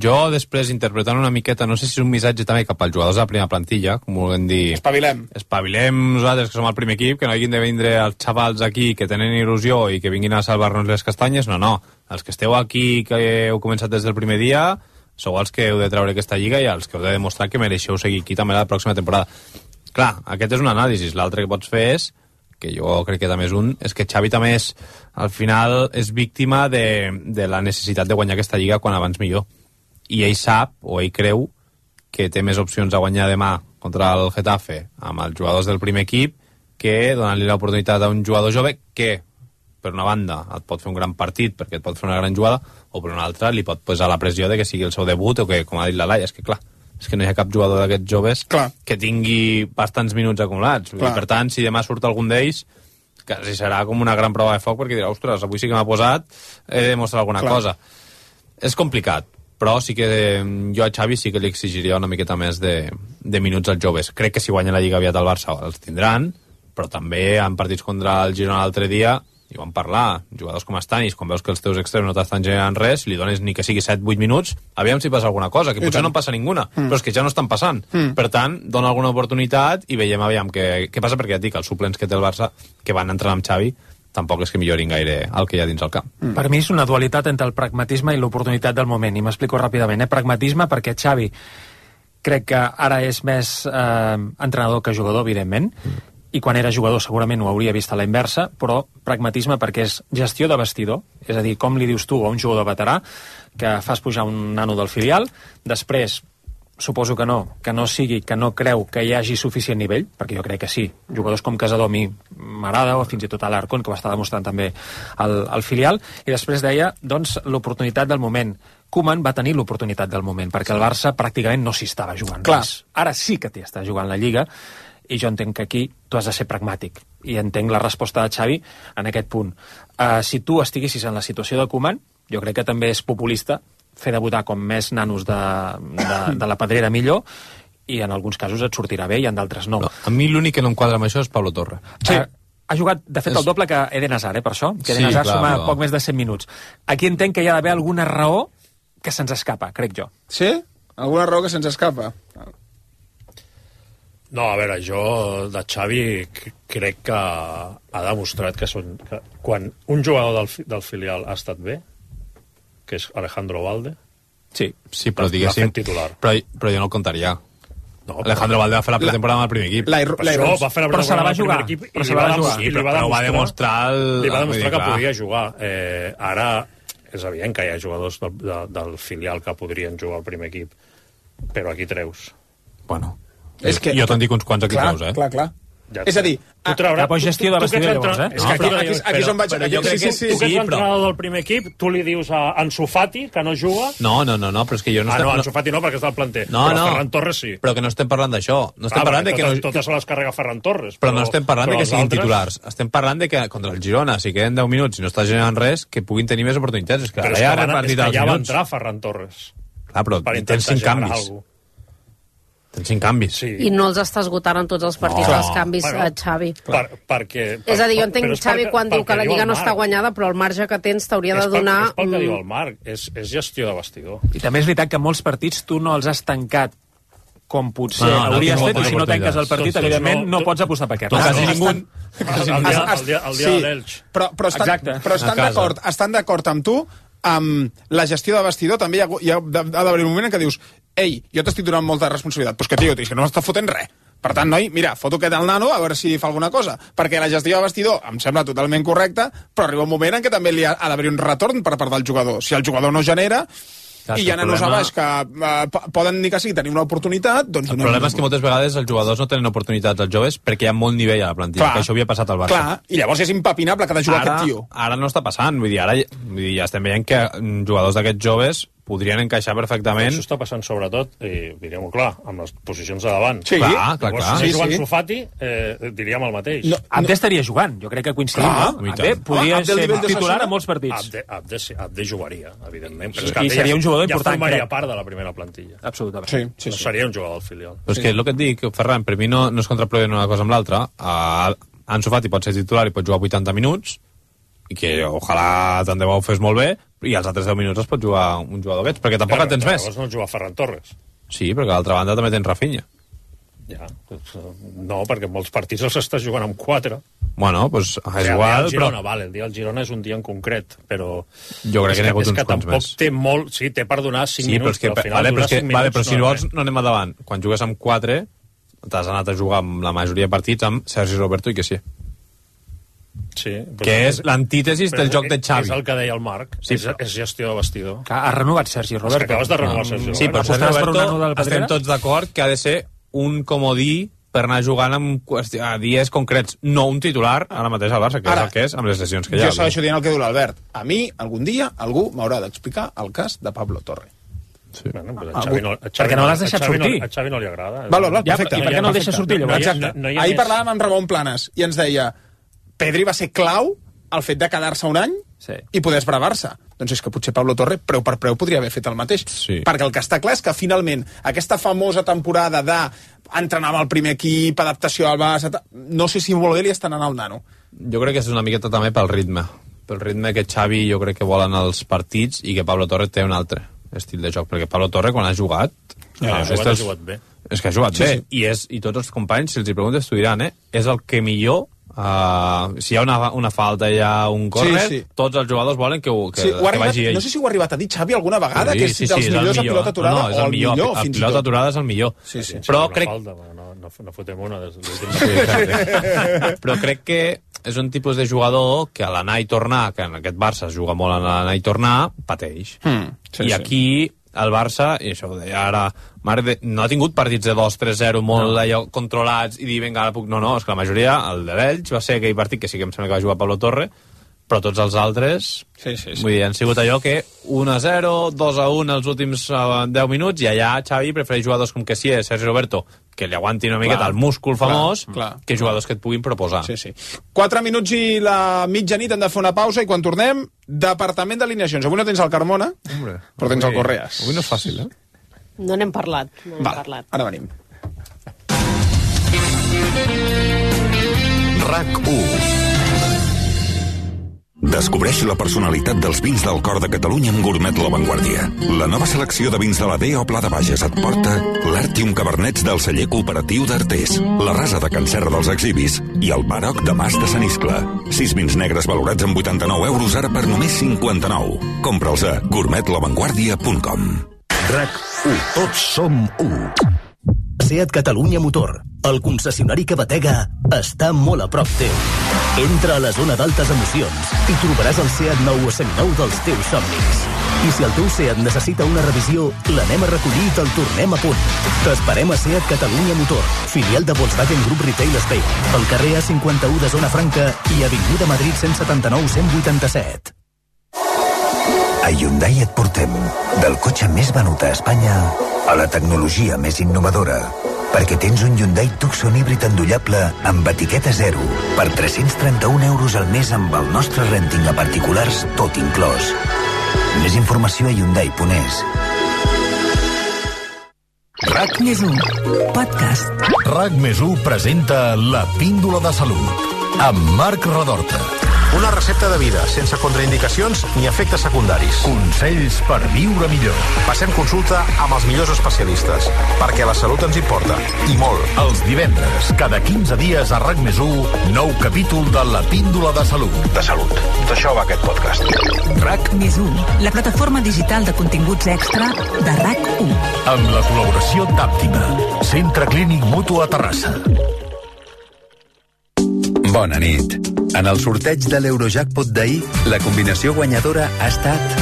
jo després interpretant una miqueta, no sé si és un missatge també cap als jugadors de la primera plantilla, com vulguem dir... Espavilem. Espavilem nosaltres, que som el primer equip, que no hagin de vindre els xavals aquí que tenen il·lusió i que vinguin a salvar-nos les castanyes, no, no. Els que esteu aquí, que heu començat des del primer dia, sou els que heu de treure aquesta lliga i els que heu de demostrar que mereixeu seguir aquí també la pròxima temporada. Clar, aquest és un anàlisi. L'altre que pots fer és, que jo crec que també és un, és que Xavi també és, al final, és víctima de, de la necessitat de guanyar aquesta lliga quan abans millor. I ell sap, o ell creu, que té més opcions a guanyar demà contra el Getafe amb els jugadors del primer equip que donant-li l'oportunitat a un jugador jove que, per una banda, et pot fer un gran partit perquè et pot fer una gran jugada, o per una altra li pot posar la pressió de que sigui el seu debut o que, com ha dit la Laia, és que clar, és que no hi ha cap jugador d'aquests joves clar. que tingui bastants minuts acumulats. I, per tant, si demà surt algun d'ells, quasi serà com una gran prova de foc perquè dirà, ostres, avui sí que m'ha posat, he de demostrar alguna clar. cosa. És complicat, però sí que jo a Xavi sí que li exigiria una miqueta més de, de minuts als joves. Crec que si guanya la Lliga aviat al Barça els tindran, però també en partits contra el Girona l'altre dia i vam parlar, jugadors com Stanis, quan veus que els teus extrems no t'estan generant res, li dones ni que sigui set vuit minuts, aviam si passa alguna cosa, que potser no en passa ninguna, mm. però és que ja no estan passant. Mm. Per tant, dona alguna oportunitat i veiem aviam què, què passa, perquè ja et dic, els suplents que té el Barça, que van entrar amb Xavi, tampoc és que millorin gaire el que hi ha dins el camp. Mm. Per mi és una dualitat entre el pragmatisme i l'oportunitat del moment, i m'explico ràpidament. Eh? Pragmatisme perquè Xavi crec que ara és més eh, entrenador que jugador, evidentment, mm. i quan era jugador segurament ho hauria vist a la inversa, però pragmatisme perquè és gestió de vestidor, és a dir, com li dius tu a un jugador veterà que fas pujar un nano del filial, després suposo que no, que no sigui, que no creu que hi hagi suficient nivell, perquè jo crec que sí, jugadors com Casador a mi m'agrada, o fins i tot a l'Arcon, que ho està demostrant també al, al filial, i després deia, doncs, l'oportunitat del moment. Koeman va tenir l'oportunitat del moment, perquè el Barça pràcticament no s'hi estava jugant res. Ara sí que t'hi està jugant la Lliga, i jo entenc que aquí tu has de ser pragmàtic i entenc la resposta de Xavi en aquest punt. Uh, si tu estiguessis en la situació de Koeman, jo crec que també és populista fer debutar com més nanos de, de, de la pedrera millor, i en alguns casos et sortirà bé i en d'altres no. no. A mi l'únic que no enquadra amb això és Pablo Torre. Sí. Uh, ha jugat, de fet, el doble que Eden Hazard, eh, per això, que Eden Sí, Hazard clar, suma però- poc més de cent minuts. Aquí entenc que hi ha d'haver alguna raó que se'ns escapa, crec jo. Sí? Alguna raó que se'ns escapa? No, a veure, jo de Xavi c- crec que ha demostrat que, són, que quan un jugador del, fi- del filial ha estat bé, que és Alejandro Valde, Sí, sí, però l'ha diguéssim... fet titular. Però, però jo no el contaria. No, Alejandro Valde va fer la pretemporada amb el primer equip. La, Per això va fer la Però se la va pretemporada amb el jugar. primer equip i Però li se la va, va dem- jugar. i li va Però va demostrar, demostrar el- li va ah, demostrar vull dir, que clar. podia jugar. Eh, ara és evident que hi ha jugadors del, de, del filial que podrien jugar al primer equip, però aquí treus. Bueno, És que- jo te'n dic uns quants aquí Clar, treus, eh? clar, clar. Ja És a dir, tu trauràs... Ah, pues gestió de tu- tu que ets vestidor, llavors, entra- eh? És No, que aquí, però aquí- aquí és on vaig- però aquí- jo crec sí, que sí, sí, tu que ets sí, però- l'entrenador del primer equip, tu li dius a Ansu Fati, que no juga... No, no, no, no, però és que jo no... Ah, estem- no, Ansu Fati no, perquè està al planter. No, però no. Ferran Torres sí. Però que no estem parlant d'això. No estem Ah, parlant de que totes, no... totes se les carrega Ferran Torres. Però no estem parlant de però que els siguin altres- titulars. Estem parlant de que contra el Girona, si queden deu minuts i no està generant res, que puguin tenir més oportunitats. És que Però ara és ja que, ha van, és repartit que els ja va minuts. entrar Ferran Torres. Clar, però Per tens intentar cinc generar canvis. alguna cosa. Tens cinc canvis. Sí. I no els està esgotant en tots els partits No. els canvis Bueno, a Xavi. Per, perquè, per, És a dir, jo entenc però és Xavi perquè- quan diu perquè que la diu Lliga el no està Marc. guanyada, però el marge que tens t'hauria de És pel, donar... és pel que mm, diu el Marc, és, és gestió de vestidor. I també és veritat que molts partits tu no els has tancat com potser No, no, no hauries tinc fet, i moltes si no tanques el partit, oportunitats. evidentment, Tots no no- pots apostar per aquest. No, Ah, quasi no, ningú... El, el, dia, el dia, el dia Sí, de l'Elx. Però, però estan, Exacte. però estan A casa. d'acord estan d'acord amb tu amb la gestió de vestidor. També hi ha, hi ha, ha d'haver un moment en què dius ei, jo t'estic donant molta responsabilitat, però és que, tio, és que no m'està fotent res. Per tant, noi, mira, foto aquest al nano a veure si fa alguna cosa, perquè la gestió de vestidor em sembla totalment correcta, però arriba un moment en què també li ha, ha d'haver un retorn per part del jugador. Si el jugador no genera, clar, i hi ha nanos problema... a baix que uh, poden dir que sí, tenir una oportunitat, doncs... El problema és que moltes vegades els jugadors no tenen oportunitats als joves perquè hi ha molt nivell a la plantilla, clar, que això havia passat al Barça. Clar, i llavors és impepinable que ha de jugar ara, aquest tio. Ara no està passant, vull dir, ara vull dir, ja estem veient que jugadors d'aquests joves podrien encaixar perfectament. Això està passant sobretot, i diríem-ho clar, amb les posicions de davant. Sí, clar, clar, clar. Si sí, jugant sí. Sofati, eh, diríem el mateix. No, Abde no. estaria jugant, jo crec que coincidim. Clar, no? Abde podria Abde ser titular a molts partits. Abde, Abde, Abde jugaria, evidentment. Però Sí, és que i seria ja, un jugador ja important, formaria crec. part de la primera plantilla. Absolutament. Sí, sí, no sí. seria un jugador del filial. Però és que el que et dic, Ferran, per mi no, no és contraproduent una cosa amb l'altra. Uh, Ansu Fati pot ser titular i pot jugar vuitanta minuts, i que ojalà tant de bo ho fes molt bé, i als altres deu minuts es pot jugar un jugador d'aquests, perquè tampoc en tens més. Llavors no juga Ferran Torres. Sí, perquè a l'altra banda també tens Rafinha. Ja, doncs, no, perquè molts partits els estàs jugant amb quatre. Bueno, doncs és o sigui, igual, el Girona, però... vale, el dia del Girona és un dia en concret, però... Jo crec que n'hi ha hagut uns quants més. És que tampoc té molt... Sí, té per donar cinc sí, minuts, però, però al final vale, però, donar que, cinc minuts... vale, però si no, vols no anem endavant. Quan jugues amb quatre, t'has anat a jugar amb la majoria de partits amb Sergi Roberto i que sí. Sí, que és l'antítesis del joc de Xavi. És el que deia el Marc, sí, és, és gestió de vestidor. Que ha renovat Sergi Roberto. És que acabes de renovar no. Sergi Roberto. Sí, però Sergi Roberto estem tots d'acord que ha de ser un comodí per anar jugant amb a dies concrets, no un titular ara mateix al Barça, que ara, és el que és amb les lesions que hi ha. Jo segueixo dient el que diu l'Albert. A mi, algun dia, algú m'haurà d'explicar el cas de Pablo Torre. Sí. Bueno, pues a Xavi no, a Xavi perquè no l'has deixat a Xavi sortir. No, a Xavi no li agrada. Val, val, perfecte. I per què no el deixes sortir? No, exacte. No, no Ahir més... parlàvem amb Ramon Planes i ens deia Pedri va ser clau el fet de quedar-se un any sí. i poder esbravar-se. Doncs és que potser Pablo Torre, preu per preu, podria haver fet el mateix. Sí. Perquè el que està clar és que finalment aquesta famosa temporada d'entrenar amb el primer equip, adaptació al Barça, no sé si molt bé li estan anant al nano. Jo crec que és una miqueta també pel ritme. Pel ritme que Xavi jo crec que volen els partits i que Pablo Torre té un altre estil de joc. Perquè Pablo Torre, quan ha jugat... Ja, ah, ha jugat, ha jugat bé. És que ha jugat sí, bé. Sí. I, és, I tots els companys, si els hi preguntes, t'ho diran, eh? És el que millor... Uh, si hi ha una, una falta, hi ha un córner, sí, sí. Tots els jugadors volen que, ho, que, sí, que arribat, vagi ell. No sé si ho ha arribat a dir Xavi alguna vegada, sí, que és sí, dels sí, millors és a pilota aturada, no, no, és el o el millor, millor fins i tot. A pilota aturada és el millor. Sí, sí. Però sí, crec... Falta, no, no, no fotem una des de l'últim. Sí, però crec que és un tipus de jugador que a l'anar i tornar, que en aquest Barça es juga molt a l'anar i tornar, pateix. Mm, sí, I aquí... el Barça, i això ho deia ara, mare de, no ha tingut partits de dos tres zero molt no. allò controlats i dir, vinga, ara puc... No, no, és que la majoria, el de l'Elx va ser aquell partit que sí que em sembla que va jugar Pablo Torre, però tots els altres, sí, sí, sí. vull dir, han sigut allò que u a zero, dos a un els últims uh, deu minuts, i allà Xavi prefereix jugadors com que sí, Sergi Roberto, que li aguantin una miqueta el múscul famós, clar, clar, que jugadors que et puguin proposar. Sí, sí. Quatre minuts i la mitjanit hem de fer una pausa, i quan tornem, departament d'alineacions. Avui no tens el Carmona, Hombre, però tens avui, el Correas. Avui no és fàcil, eh? No n'hem parlat. No Val, parlat. ara venim. RAC u. Descobreix la personalitat dels vins del cor de Catalunya amb Gourmet La Vanguardia. La nova selecció de vins de la B O Pla de Bages et porta l'Artium Cabernets del celler cooperatiu d'Artés, la Rasa de Can Serra dels Exhibis i el Baroc de Mas de Sant Iscle. Sis vins negres valorats amb vuitanta-nou euros ara per només cinquanta-nou. Compra'ls a gourmet la vanguardia punt com. RAC u. Tots som u. SEAT Catalunya Motor, el concessionari que batega, està molt a prop teu. Entra a la zona d'altes emocions i trobaràs el SEAT nou o seminou dels teus somnis. I si el teu SEAT necessita una revisió, l'anem a recollir i te'l tornem a punt. T'esperem a SEAT Catalunya Motor, filial de Volkswagen Group Retail Spain, al carrer A cinquanta-u de Zona Franca i Avinguda Madrid cent setanta-nou cent vuitanta-set. A Hyundai et portem del cotxe més venut a Espanya a la tecnologia més innovadora, perquè tens un Hyundai Tucson híbrid endollable amb etiqueta zero per tres-cents trenta-un euros al mes amb el nostre renting a particulars tot inclòs. Més informació a hyundai punt es. RAC més u, podcast. RAC més u presenta La Píndola de Salut amb Marc Redorta. Una recepta de vida, sense contraindicacions ni efectes secundaris. Consells per viure millor. Passem consulta amb els millors especialistes, perquè la salut ens importa, i molt. Els divendres, cada quinze dies a RAC més u, nou capítol de La Píndola de Salut. De salut. D'això va aquest podcast. RAC més u, la plataforma digital de continguts extra de RAC u. Amb la col·laboració d'Àptima, Centre Clínic Mutu a Terrassa. Bona nit. En el sorteig de l'Eurojackpot d'ahir, la combinació guanyadora ha estat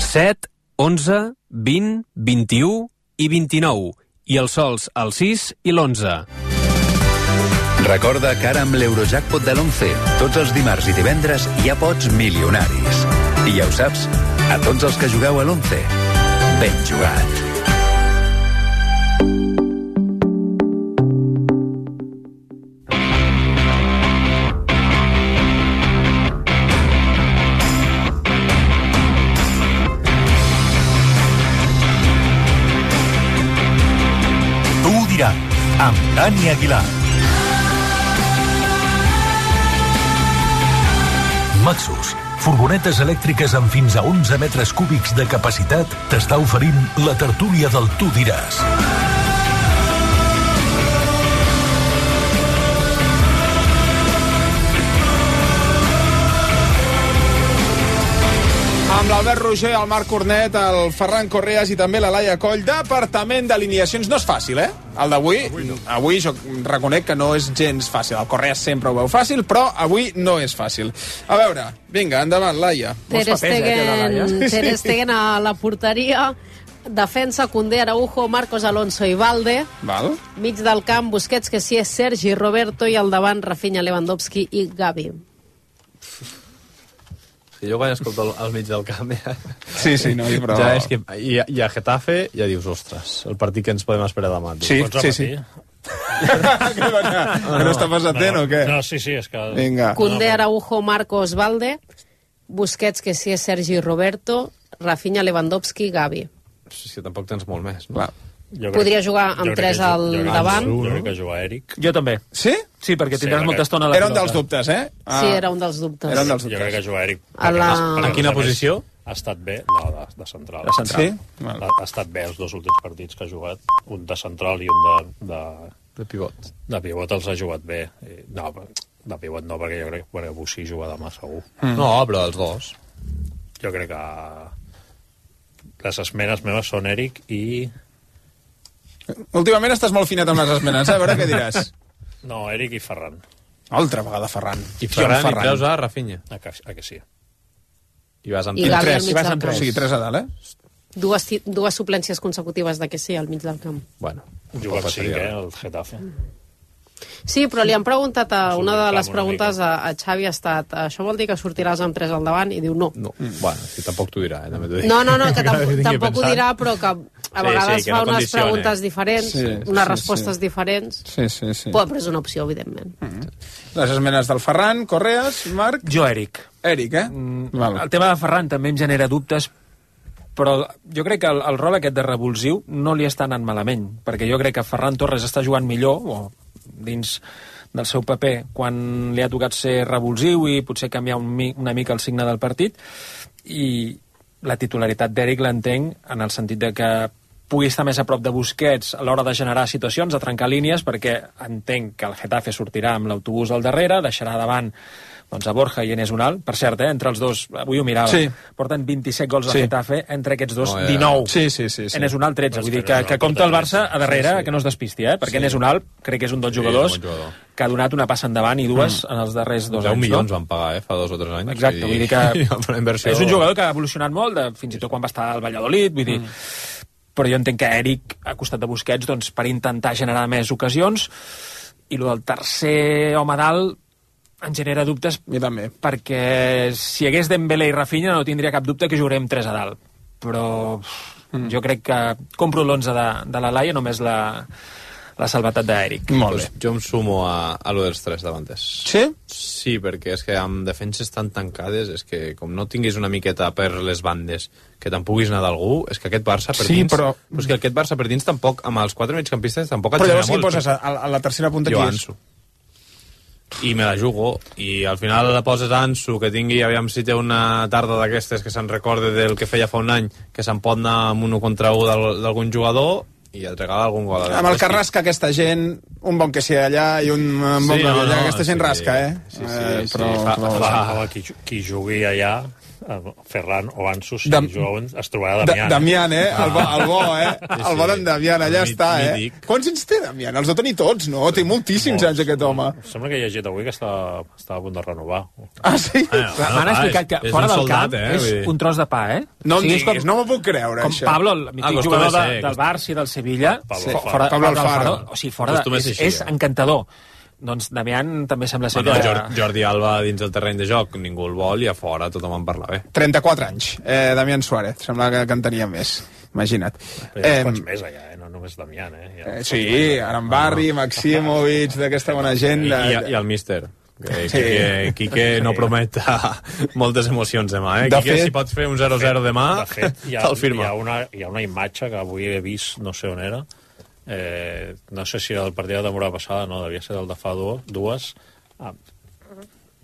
set, onze, vint, vint-i-u i vint-i-nou. I els sols el sis i l'onze. Recorda que ara amb l'Eurojackpot de l'onze, tots els dimarts i divendres hi ha pots milionaris. I ja ho saps, a tots els que jugueu a l'onze, ben jugat. Amb Dani Aguilar. Maxus, furgonetes elèctriques amb fins a onze metres cúbics de capacitat, t'està oferint la tertúlia del Tu diràs. Amb l'Albert Roger, el Marc Cornet, el Ferran Correas i també la Laia Coll. Departament d'alineacions. No és fàcil, eh? El d'avui, avui, no. avui jo reconec que no és gens fàcil. El Correas sempre ho veu fàcil, però avui no és fàcil. A veure, vinga, endavant, Laia. Ter Stegen, eh, Ter Stegen a la porteria. Defensa, Koundé, Araujo, Marcos Alonso i Valde. Val. Mig del camp, Busquets, que sí és Sergi Roberto, i al davant, Rafinha, Lewandowski i Gavi. Sí, jo quan escolto el, el mig del camp ja... Sí, sí, no, però... Ja és que, i, i a Getafe ja dius, ostres, el partit que ens podem esperar demà. Sí, sí, sí. que no està passat no, o què? No, sí, sí, és que... Vinga. Koundé, Araujo, Marcos, Valde, Busquets, que sí és Sergi Roberto, Rafinha, Lewandowski i Gavi. Sí, sí, tampoc tens molt més, no? Clar. Jo Podria crec, jugar amb tres al jo davant. Jo crec que jugar Eric. Jo també. Sí? Sí, perquè tindràs sí, molta estona a la Era un pilota. dels dubtes, eh? Ah. Sí, era un dels dubtes. Era un dels dubtes. Jo crec que jugar Eric. A la... En quina posició? Ha estat bé, no, de, de central. De central. Sí? Ha, ha estat bé els dos últims partits que ha jugat. Un de central i un de... De, de pivot. De pivot els ha jugat bé. No, de pivot no, perquè jo crec que Bussí juga demà segur. Mm. No, però els dos. Jo crec que les esmenes meves són Eric i... Últimament estàs molt finet amb les esmenes, eh? A veure què diràs. No, Eric i Ferran. Altra vegada Ferran. I Ferran, Ferran. I treus a Rafinha. A que, a que sí. I vas amb I tres. tres. I vas amb tres. O sigui, tres a dalt, eh? Dues, dues suplències consecutives de que sí al mig del camp. Bueno. Juga amb cinc, eh, el Getafe. Sí, però li han preguntat a una de les preguntes a, a Xavi ha estat, això vol dir que sortiràs amb tres al davant? I diu no. No, mm. bueno, si tampoc t'ho dirà, eh, també t'ho dic. No, no, no, que tampoc, tampoc ho dirà, però que a vegades sí, sí, fa no unes condicione. preguntes diferents, sí, unes sí, respostes sí. diferents. Sí, sí, sí. Però és una opció, evidentment. Mm. Les esmenes del Ferran, Correas, Marc... Jo, Eric. Eric, eh? Mm, Val. El tema de Ferran també em genera dubtes, però jo crec que el, el rol aquest de revulsiu no li està anant malament, perquè jo crec que Ferran Torres està jugant millor, o dins del seu paper, quan li ha tocat ser revulsiu i potser canviar un, una mica el signe del partit, i la titularitat d'Eric l'entenc en el sentit de que pugui estar més a prop de Busquets a l'hora de generar situacions, de trencar línies, perquè entenc que el Getafe sortirà amb l'autobús al darrere, deixarà davant doncs a Borja i Enes Unal. Per cert, eh, entre els dos, avui ho mirava, sí. porten vint-i-set gols al sí. Getafe, entre aquests dos, oh, yeah. dinou. Sí, sí, sí, sí. Enes Unal, tretze. Vull dir que, que compta el Barça a darrere, sí, sí. que no es despisti, eh? Perquè sí. Enes Unal crec que és un dels jugadors sí, jugador. que ha donat una passa endavant i dues mm. en els darrers dos anys. deu milions no? van pagar, eh, fa dos o tres anys. Exacte, vull dir que inversió... és un jugador que ha evolucionat molt, de, fins i tot quan va estar al Valladolid, vull dir... Mm. Però jo entenc que Eric, a costat de Busquets, doncs, per intentar generar més ocasions, i el del tercer home dalt em genera dubtes, perquè si hi hagués Dembélé i Rafinha no tindria cap dubte que jugarem tres a dalt, però mm. jo crec que compro l'onze de, de la Laia, només la, la salvetat d'Eric. Molt bé. Pues jo em sumo a, a lo dels tres davanters. Sí? Sí, perquè és que amb defenses tan tancades, és que com no tinguis una miqueta per les bandes que te'n puguis anar d'algú, és que aquest Barça per sí, dins... però... Però és que aquest Barça per dins tampoc, amb els quatre migcampistes, tampoc et però genera llavors qui molt. poses a, a la tercera punta? Jo, qui és? Ansu. i me la jugo, i al final la poses Ansu, que tingui, aviam si té una tarda d'aquestes que se'n recorde del que feia fa un any, que se'n pot anar amb un un contra un d'algun jugador i et regala algun gol. Amb el que rasca aquesta gent, un bon que sigui allà i un bon Sí, que no, allà, no, aquesta gent sí. rasca, eh? Sí, sí, Eh, sí, però- fa- però- fa- Home, qui, qui jugui allà, eh, Ferran o Ansu, si Dam- juguen, es trobarà Da- Damián. Damián, eh? El bo, el bo eh? Sí, El bo d'en Damián, allà Mí- està, eh? mític. Quants anys té Damián? Els deu tenir tots, no? Té moltíssims anys, aquest home. Sembla que he llegit avui que està, està a punt de renovar. Ah, sí? M'han explicat que fora del camp és un tros de pa, eh? No em O sigui, és diguis, no m'ho puc creure, com això. Pablo, el mític Ah, jugador acostuma a de, ser, del Barça i del Sevilla, Pablo fo- Alfaro. fora, Pablo Pablo Alfaro. Alfaro, o sigui, fora de, Acostuma a és, ser així, és eh? encantador. Doncs Damián també sembla ser Bueno, que... Jordi, Jordi Alba dins del terreny de joc, ningú el vol, i a fora tothom en parla bé. trenta-quatre anys, eh, Damián Suárez. Sembla que, que en tenia més. Imagina't. Però hi ha uns quants més allà, eh? No només Damián, eh? Hi ha Eh, uns sí, quants més allà. Arambarri, Maximovic, d'aquesta bona gent. I, De... i, i el míster. Que, Sí. Quique, Quique no promet moltes emocions demà, eh? De Quique, fet- si pots fer un zero zero demà, De fet, hi ha, te'l hi, firma. ha una, hi ha una imatge que avui he vist, no sé on era, eh, no sé si era el partit de la temporada passada, no, devia ser el de fa dues, dues ah,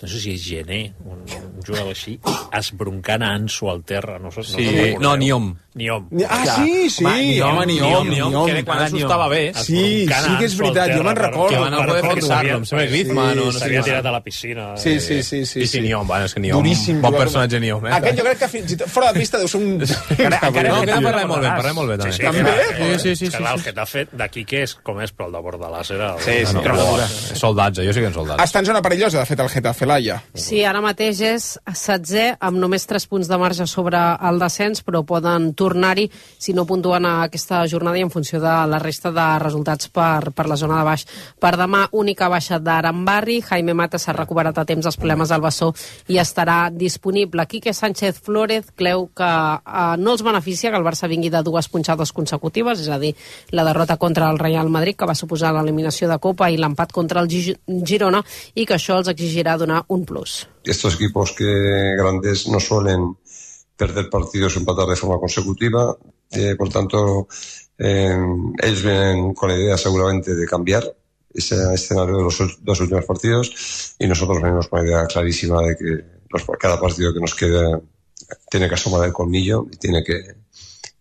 no sé si és Gené, un, un jugador així, esbroncant a Ansu al terra. No, sé, Sí, no, no, Niom. Niom. Ah, sí, sí, home, Niom, Niom. que era quan Ansu estava bé. Sí, sí que és veritat, jo me'n recordo. Que van a poder fixar-lo, em sembla Griezmann o no sé S'havia què. tirat a la piscina. Sí, sí, sí. sí, Sí, sí, Niom, bueno, és que Niom, Duríssim bon jugador. personatge Niom, eh? Aquest jo crec que fins i tot fora de pista deu ser un... Encara, encara, no, encara parlem molt bé, parlem molt bé, també. Sí, sí, També? clar, Sí, sí, sí, és que, clar, sí, el Getafe d'aquí que és com és, però el de Bordalàs era... Sí, sí, era no, bo. Eh, Soldats, eh? Jo sí que en soldats. Està en zona perillosa, de fet, el Getafe, Laia. Sí, ara mateix és setzè amb només tres punts de marge sobre el descens, però poden tornar-hi si no puntuen a aquesta jornada i en funció de la resta de resultats per, per la zona de baix. Per demà, única baixa d'Arambarri, Jaime Mata s'ha recuperat a temps dels problemes del bessó i estarà disponible. Quique Sánchez Flórez creu que eh, no els beneficia que el Barça vingui de dues punxades consecutives, és a dir, la derrota contra el Real Madrid, que va suposar l'eliminació de Copa, i l'empat contra el Gi- Girona, i que això els exigirà donar un plus. Estos equipos que grandes no suelen perder partidos o empatar de forma consecutiva, eh, por tanto eh, ellos vienen con la idea seguramente de cambiar ese escenario de los dos últimos partidos y nosotros venimos con la idea clarísima de que los, cada partido que nos quede tiene que asomar el colmillo y tiene que,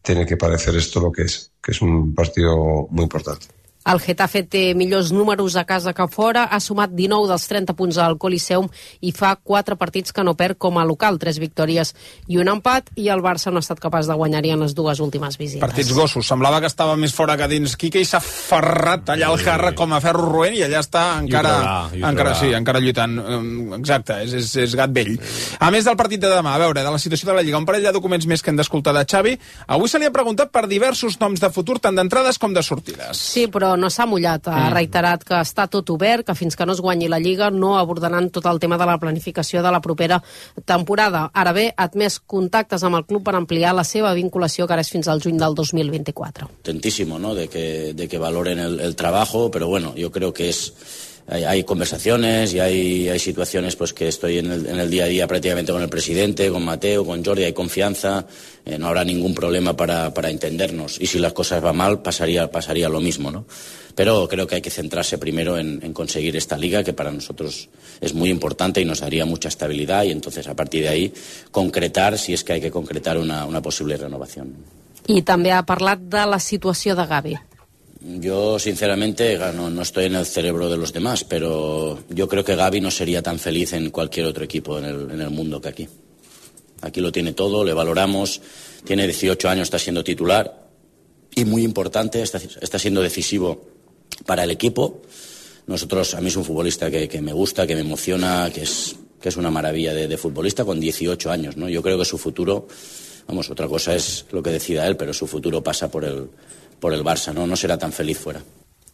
tiene que parecer esto lo que es, que es un partido muy importante. El Getafe té millors números a casa que fora, ha sumat dinou dels trenta punts al Coliseum i fa quatre partits que no perd com a local, tres victòries i un empat, i el Barça no ha estat capaç de guanyar-hi en les dues últimes visites. Partits gossos. Semblava que estava més fora que dins Quique i s'ha ferrat allà al Jarra com a ferro roent i allà està encara, I ho traurà, i ho encara, traurà. sí, encara lluitant. Um, Exacte, és, és, és gat vell. A més del partit de demà, a veure, de la situació de la Lliga, un parell de documents més que hem d'escoltar de Xavi. Avui se li ha preguntat per diversos noms de futur, tant d'entrades com de sortides. Sí, però no s'ha mullat. Ha reiterat que està tot obert, que fins que no es guanyi la Lliga no abordaran tot el tema de la planificació de la propera temporada. Ara bé, ha admès contactes amb el club per ampliar la seva vinculació, que ara és fins al juny del dos mil vint-i-quatre. Contentísimo, ¿no? De que, de que valoren el, el trabajo, pero bueno, yo creo que es hay, hay conversaciones y hay, hay situaciones pues que estoy en el, en el día a día prácticamente con el presidente, con Mateo, con Jordi, hay confianza, eh, no habrá ningún problema para, para entendernos, y si las cosas van mal pasaría, pasaría lo mismo, ¿no? Pero creo que hay que centrarse primero en, en conseguir esta liga, que para nosotros es muy importante y nos daría mucha estabilidad, y entonces a partir de ahí concretar, si es que hay que concretar una, una posible renovación. I també ha parlat de la situació de Gavi. Yo, sinceramente, no, no estoy en el cerebro de los demás, pero yo creo que Gavi no sería tan feliz en cualquier otro equipo en el, en el mundo que aquí. Aquí lo tiene todo, le valoramos, tiene dieciocho años, está siendo titular y muy importante, está, está siendo decisivo para el equipo. Nosotros, a mí es un futbolista que, que me gusta, que me emociona, que es, que es una maravilla de, de futbolista con dieciocho años, ¿no? Yo creo que su futuro, vamos, otra cosa es lo que decida él, pero su futuro pasa por el, por el Barça, ¿no? No será tan feliz fuera.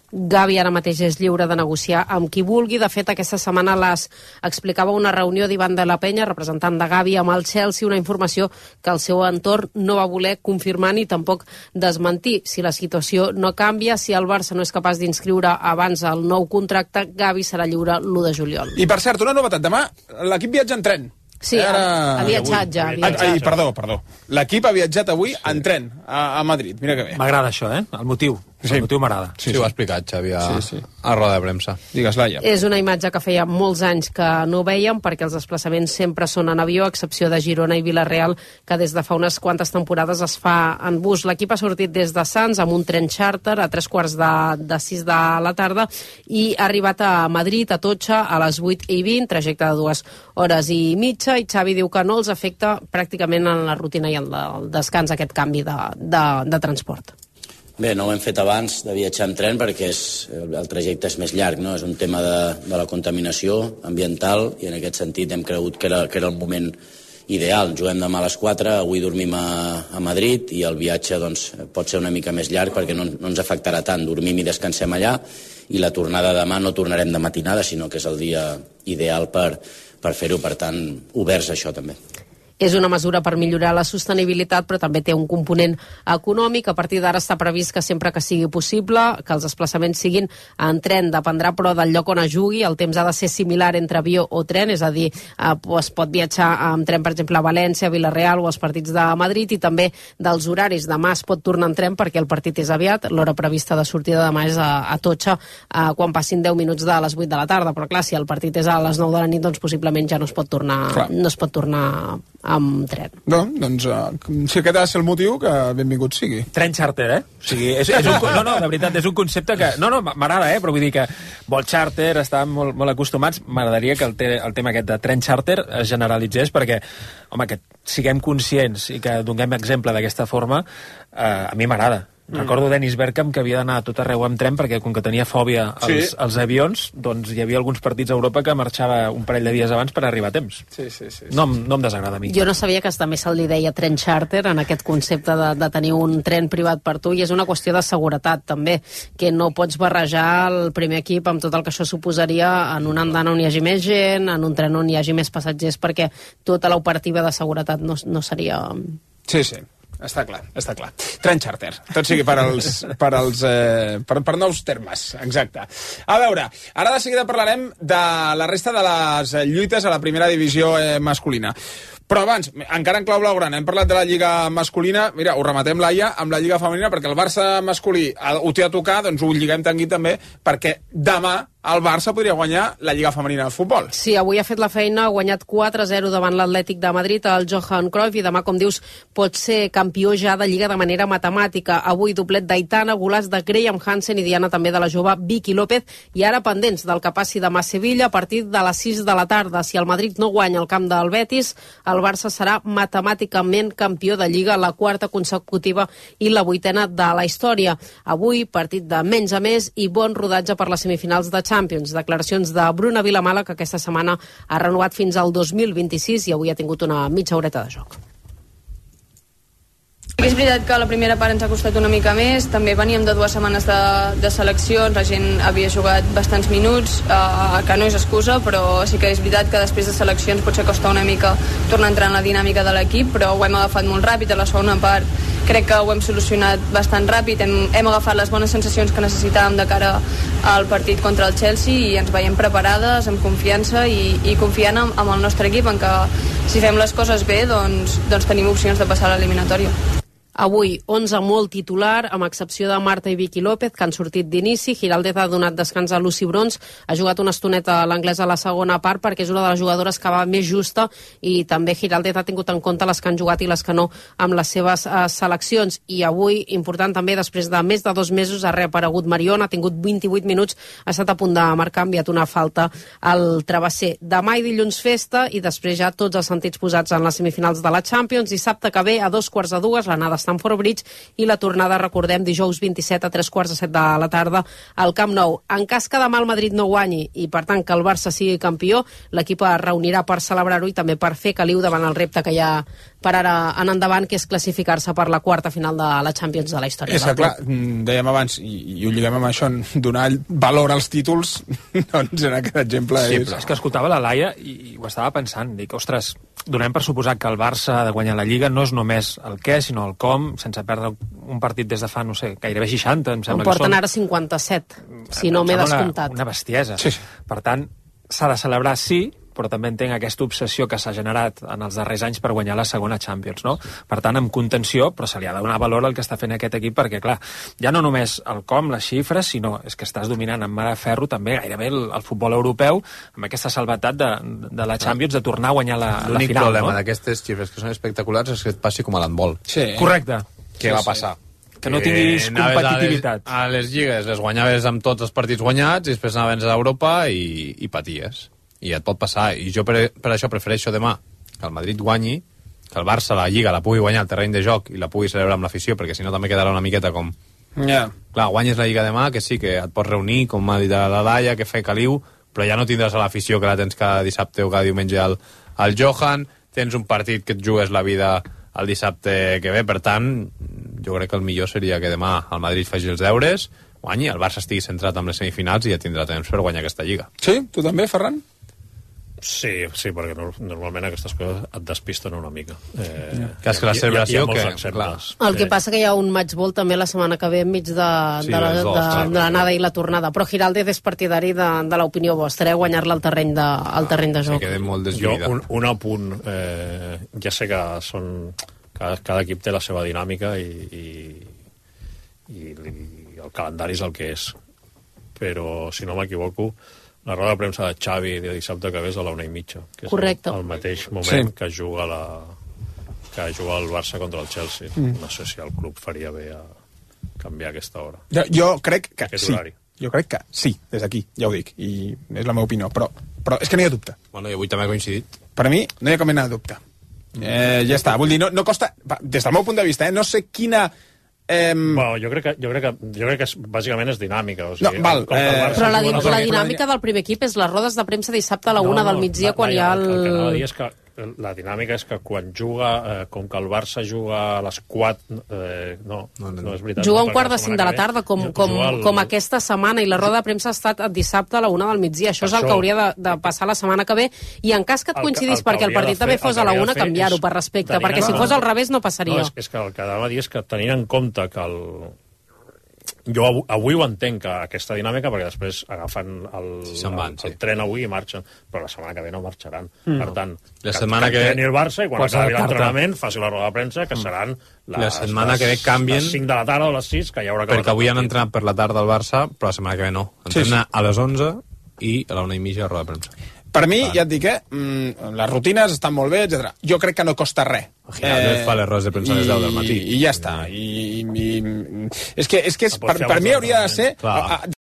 Gavi ara mateix és lliure de negociar amb qui vulgui. De fet, aquesta setmana les explicava una reunió d'Ivan de la Penya, representant de Gavi, amb el Chelsea, una informació que el seu entorn no va voler confirmar ni tampoc desmentir. Si la situació no canvia, si el Barça no és capaç d'inscriure abans el nou contracte, Gavi serà lliure l'u de juliol. I per cert, una novetat, demà l'equip viatja en tren. Sí, ha, ha viatjat ja. Ha viatjat. Ai, perdó, perdó. L'equip ha viatjat avui en tren a, a Madrid. Mira que bé. M'agrada això, eh? El motiu. Sí. El motiu m'agrada. Sí, sí, sí, ho ha explicat Xavi a, sí, sí. a roda de premsa. Digues, Laia. És una imatge que feia molts anys que no veiem, perquè els desplaçaments sempre són en avió, a excepció de Girona i Vilareal, que des de fa unes quantes temporades es fa en bus. L'equip ha sortit des de Sants amb un tren charter a tres quarts de, de sis de la tarda i ha arribat a Madrid, a Totxa, a les vuit i vint, trajecte de dues hores i mitja, i Xavi diu que no els afecta pràcticament en la rutina i en el descans aquest canvi de, de, de transport. Bé, no ho hem fet abans de viatjar en tren perquè és, el trajecte és més llarg, no? És un tema de, de la contaminació ambiental i en aquest sentit hem cregut que era, que era el moment ideal. Juguem demà a les quatre, avui dormim a, a Madrid i el viatge doncs, pot ser una mica més llarg perquè no, no ens afectarà tant. Dormim i descansem allà i la tornada demà no tornarem de matinada, sinó que és el dia ideal per, per fer-ho, per tant, oberts a això també. És una mesura per millorar la sostenibilitat, però també té un component econòmic. A partir d'ara està previst que sempre que sigui possible, que els desplaçaments siguin en tren. Dependrà, però, del lloc on es jugui. El temps ha de ser similar entre avió o tren, és a dir, eh, es pot viatjar amb tren, per exemple, a València, a Vilareal o als partits de Madrid, i també dels horaris. Demà es pot tornar en tren perquè el partit és aviat. L'hora prevista de sortida demà és a, a Totxa eh, quan passin deu minuts de les vuit de la tarda. Però, clar, si el partit és a les nou de la nit, doncs possiblement ja no es pot tornar, no es pot tornar amb tren. No, doncs, uh, si aquest ha de ser el motiu, que benvingut sigui. Tren charter, eh? O sigui, és, és un, no, no, de veritat, és un concepte que... No, no, m'agrada, eh? Però vull dir que vol charter, estan molt, molt acostumats. M'agradaria que el, te, el tema aquest de tren charter es generalitzés perquè, home, que siguem conscients i que donem exemple d'aquesta forma, eh, a mi m'agrada. Mm. Recordo Dennis Bergkamp que havia d'anar a tot arreu amb tren perquè com que tenia fòbia als, sí. als avions, doncs hi havia alguns partits a Europa que marxava un parell de dies abans per arribar a temps. Sí, sí, sí, sí. No, no em desagrada a mi. Jo no sabia que també se li deia tren charter en aquest concepte de, de tenir un tren privat per tu, i és una qüestió de seguretat també, que no pots barrejar el primer equip amb tot el que això suposaria en una andana on hi hagi més gent, en un tren on hi hagi més passatgers, perquè tota l'operativa de seguretat no, no seria... Sí, sí. Està clar, està clar. Tren charter, tot sigui per als, per, als, eh, per, per nous termes, exacte. A veure, ara de seguida parlarem de la resta de les lluites a la primera divisió eh, masculina. Però abans, encara en clau blaugrana, hem parlat de la Lliga masculina. Mira, ho rematem, Laia, amb la Lliga femenina, perquè el Barça masculí ho té a tocar, doncs ho lliguem tangui també, perquè demà el Barça podria guanyar la Lliga femenina de futbol. Sí, avui ha fet la feina, ha guanyat quatre a zero davant l'Atlètic de Madrid, el Johan Cruyff, i demà, com dius, pot ser campió ja de Lliga de manera matemàtica. Avui doblet d'Aitana, golaç de Graham Hansen i Diana també de la jove Vicky López, i ara pendents del que passi demà a Sevilla a partir de les sis de la tarda. Si el Madrid no guanya el camp del Betis, el Barça serà matemàticament campió de Lliga, la quarta consecutiva i la vuitena de la història. Avui, partit de menys a més i bon rodatge per les semifinals de Champions. Declaracions de Bruna Vilamala, que aquesta setmana ha renovat fins al dos mil vint-i-sis i avui ha tingut una mitja horeta de joc. És veritat que la primera part ens ha costat una mica més, també veníem de dues setmanes de, de seleccions, la gent havia jugat bastants minuts, eh, que no és excusa, però sí que és veritat que després de seleccions potser costa una mica tornar a entrar en la dinàmica de l'equip, però ho hem agafat molt ràpid. A la segona part crec que ho hem solucionat bastant ràpid, hem, hem agafat les bones sensacions que necessitàvem de cara al partit contra el Chelsea i ens veiem preparades, amb confiança i, i confiant en, en el nostre equip, en que si fem les coses bé doncs, doncs tenim opcions de passar a l'eliminatòria. Avui, onze molt titular, amb excepció de Marta i Vicky López, que han sortit d'inici. Giraldez ha donat descans a Lucy Brons, ha jugat una estoneta a l'anglès a la segona part perquè és una de les jugadores que va més justa, i també Giraldez ha tingut en compte les que han jugat i les que no amb les seves uh, seleccions. I avui, important també, després de més de dos mesos ha reaparegut Mariona, ha tingut vint-i-vuit minuts, ha estat a punt de marcar, ha enviat una falta al travesser. Demà i dilluns festa, i després ja tots els sentits posats en les semifinals de la Champions. Dissabte que ve, a dos quarts de dues, l'anada Stamford Bridge, i la tornada, recordem, dijous vint-i-set a tres quarts de set de la tarda al Camp Nou. En cas que demà el Madrid no guanyi i, per tant, que el Barça sigui campió, l'equip es reunirà per celebrar-ho i també per fer caliu davant el repte que hi ha per ara en endavant, que és classificar-se per la quarta final de la Champions de la història. És que, clar, dèiem abans, i, i ho lliguem amb això, donar valor als títols, doncs en aquest exemple sí, és... Però és que escoltava la Laia i, i ho estava pensant, dic, ostres, donem per suposat que el Barça ha de guanyar la Lliga no és només el què, sinó el com, sense perdre un partit des de fa, no sé, gairebé seixanta, em sembla que són. En porten ara cinquanta-set, si no m'he descomptat. Una, una bestiesa. Sí. Per tant, s'ha de celebrar sí, però també entenc aquesta obsessió que s'ha generat en els darrers anys per guanyar la segona Champions, no? Per tant, amb contenció, però se li ha de donar valor al que està fent aquest equip, perquè, clar, ja no només el com, les xifres, sinó és que estàs dominant amb mà de ferro també gairebé el, el futbol europeu, amb aquesta salvetat de, de la Champions, de tornar a guanyar la, la final. L'únic problema no? d'aquestes xifres que són espectaculars és que et passi com a l'handbol. Sí. Correcte. Què sí, va sí. passar? Que no tinguis competitivitat. A les, a les lligues les guanyaves amb tots els partits guanyats i després anaves a Europa i, i paties. I et pot passar. I jo per, per això prefereixo demà que el Madrid guanyi, que el Barça la Lliga la pugui guanyar al terreny de joc i la pugui celebrar amb l'afició, perquè si no també quedarà una miqueta com... Yeah. Clar, guanyes la Lliga demà, que sí, que et pots reunir, com m'ha dit la Laia, que fa caliu, però ja no tindràs a l'afició que la tens cada dissabte o cada diumenge al, al Johan, tens un partit que et jugues la vida el dissabte que ve, per tant, jo crec que el millor seria que demà el Madrid faci els deures, guanyi, el Barça estigui centrat amb les semifinals i ja tindrà temps per guanyar aquesta Lliga. Sí? Tu també, Ferran? Sí, sí, perquè no, normalment aquestes coses et despisten una mica. Eh, que és que la celebració... Hi ha, hi ha que, exemples. El que passa que hi ha un matchball també la setmana que ve enmig de, Sí, de, la, els de, dos, clar. de l'anada i la tornada. Però Giraldez és partidari de, de l'opinió vostra, eh? Guanyar-la al terreny de, al terreny de joc. quedem molt Jo, un, un apunt, eh, ja sé que són... Cada, cada equip té la seva dinàmica i, i, i, i el calendari és el que és. Però, si no m'equivoco, la roda de premsa de Xavi de dissabte que ve és a la una i mitja, que és Correcte. el, el mateix moment Sí. que juga la que juga el Barça contra el Chelsea. Mm. No sé si el club faria bé a canviar aquesta hora. Jo, jo crec que Aquest sí. horari. Jo crec que sí, des d'aquí, ja ho dic, i és la meva opinió, però, però és que no hi ha dubte. Bueno, jo avui també he coincidit. Per a mi no hi ha cap mena de dubte. Eh, ja està, vull dir, no, no costa... va, Des del meu punt de vista, eh, no sé quina... Eh... Bueno, jo crec que, jo crec que, jo crec que és, bàsicament és dinàmica. O sigui, No, val, com que el eh, Barça Però la, juga di una la cosa- dinàmica del primer equip és les rodes de premsa dissabte a la una del migdia, quan hi ha el... El que anava a dir és que la dinàmica és que quan juga, eh, com que el Barça juga a les quatre... Eh, no, no, no, no és veritat. Juga no, un quart de perquè cinc de la setmana tarda, com, que ve com, juga el- com aquesta setmana, i la roda de premsa ha estat dissabte a la una del migdia. Això és el Això- que hauria de, de passar la setmana que ve, i en cas que et El que- coincidís el que perquè el hauria partit de també fer- fos el a la que una, hauria de fer canviar-ho és per respecte, tenint perquè en si compte- fos al revés no passaria. No, és, és que el que anava a dir és que tenint en compte que el... Jo avui, avui ho entenc, que aquesta dinàmica, perquè després agafen el, Sí, se'n van, el, sí. el tren avui i marxen, però la setmana que ve no marxaran. Mm. Per tant, La setmana que ve- entreni el Barça i quan Pots acabi adaptar-te. l'entrenament faci la roda de premsa, que seran les, La setmana les, que ve canvien- les cinc de la tarda o les sis, que ja haurà acabat Perquè avui el han partit. entrenat per la tarda al Barça, però la setmana que ve no. Sí, Entrena sí. a les onze i a la una i mitja a roda de premsa. Per mi, ja et dic, eh, mm, les rutines estan molt bé, etcètera. Jo crec que no costa res. Giraldez fa les rodes de premsa a les deu del matí. I ja està. I, i, i, és que, és que és, Pots per, fer per abans mi del hauria de ser... Clar. A, a,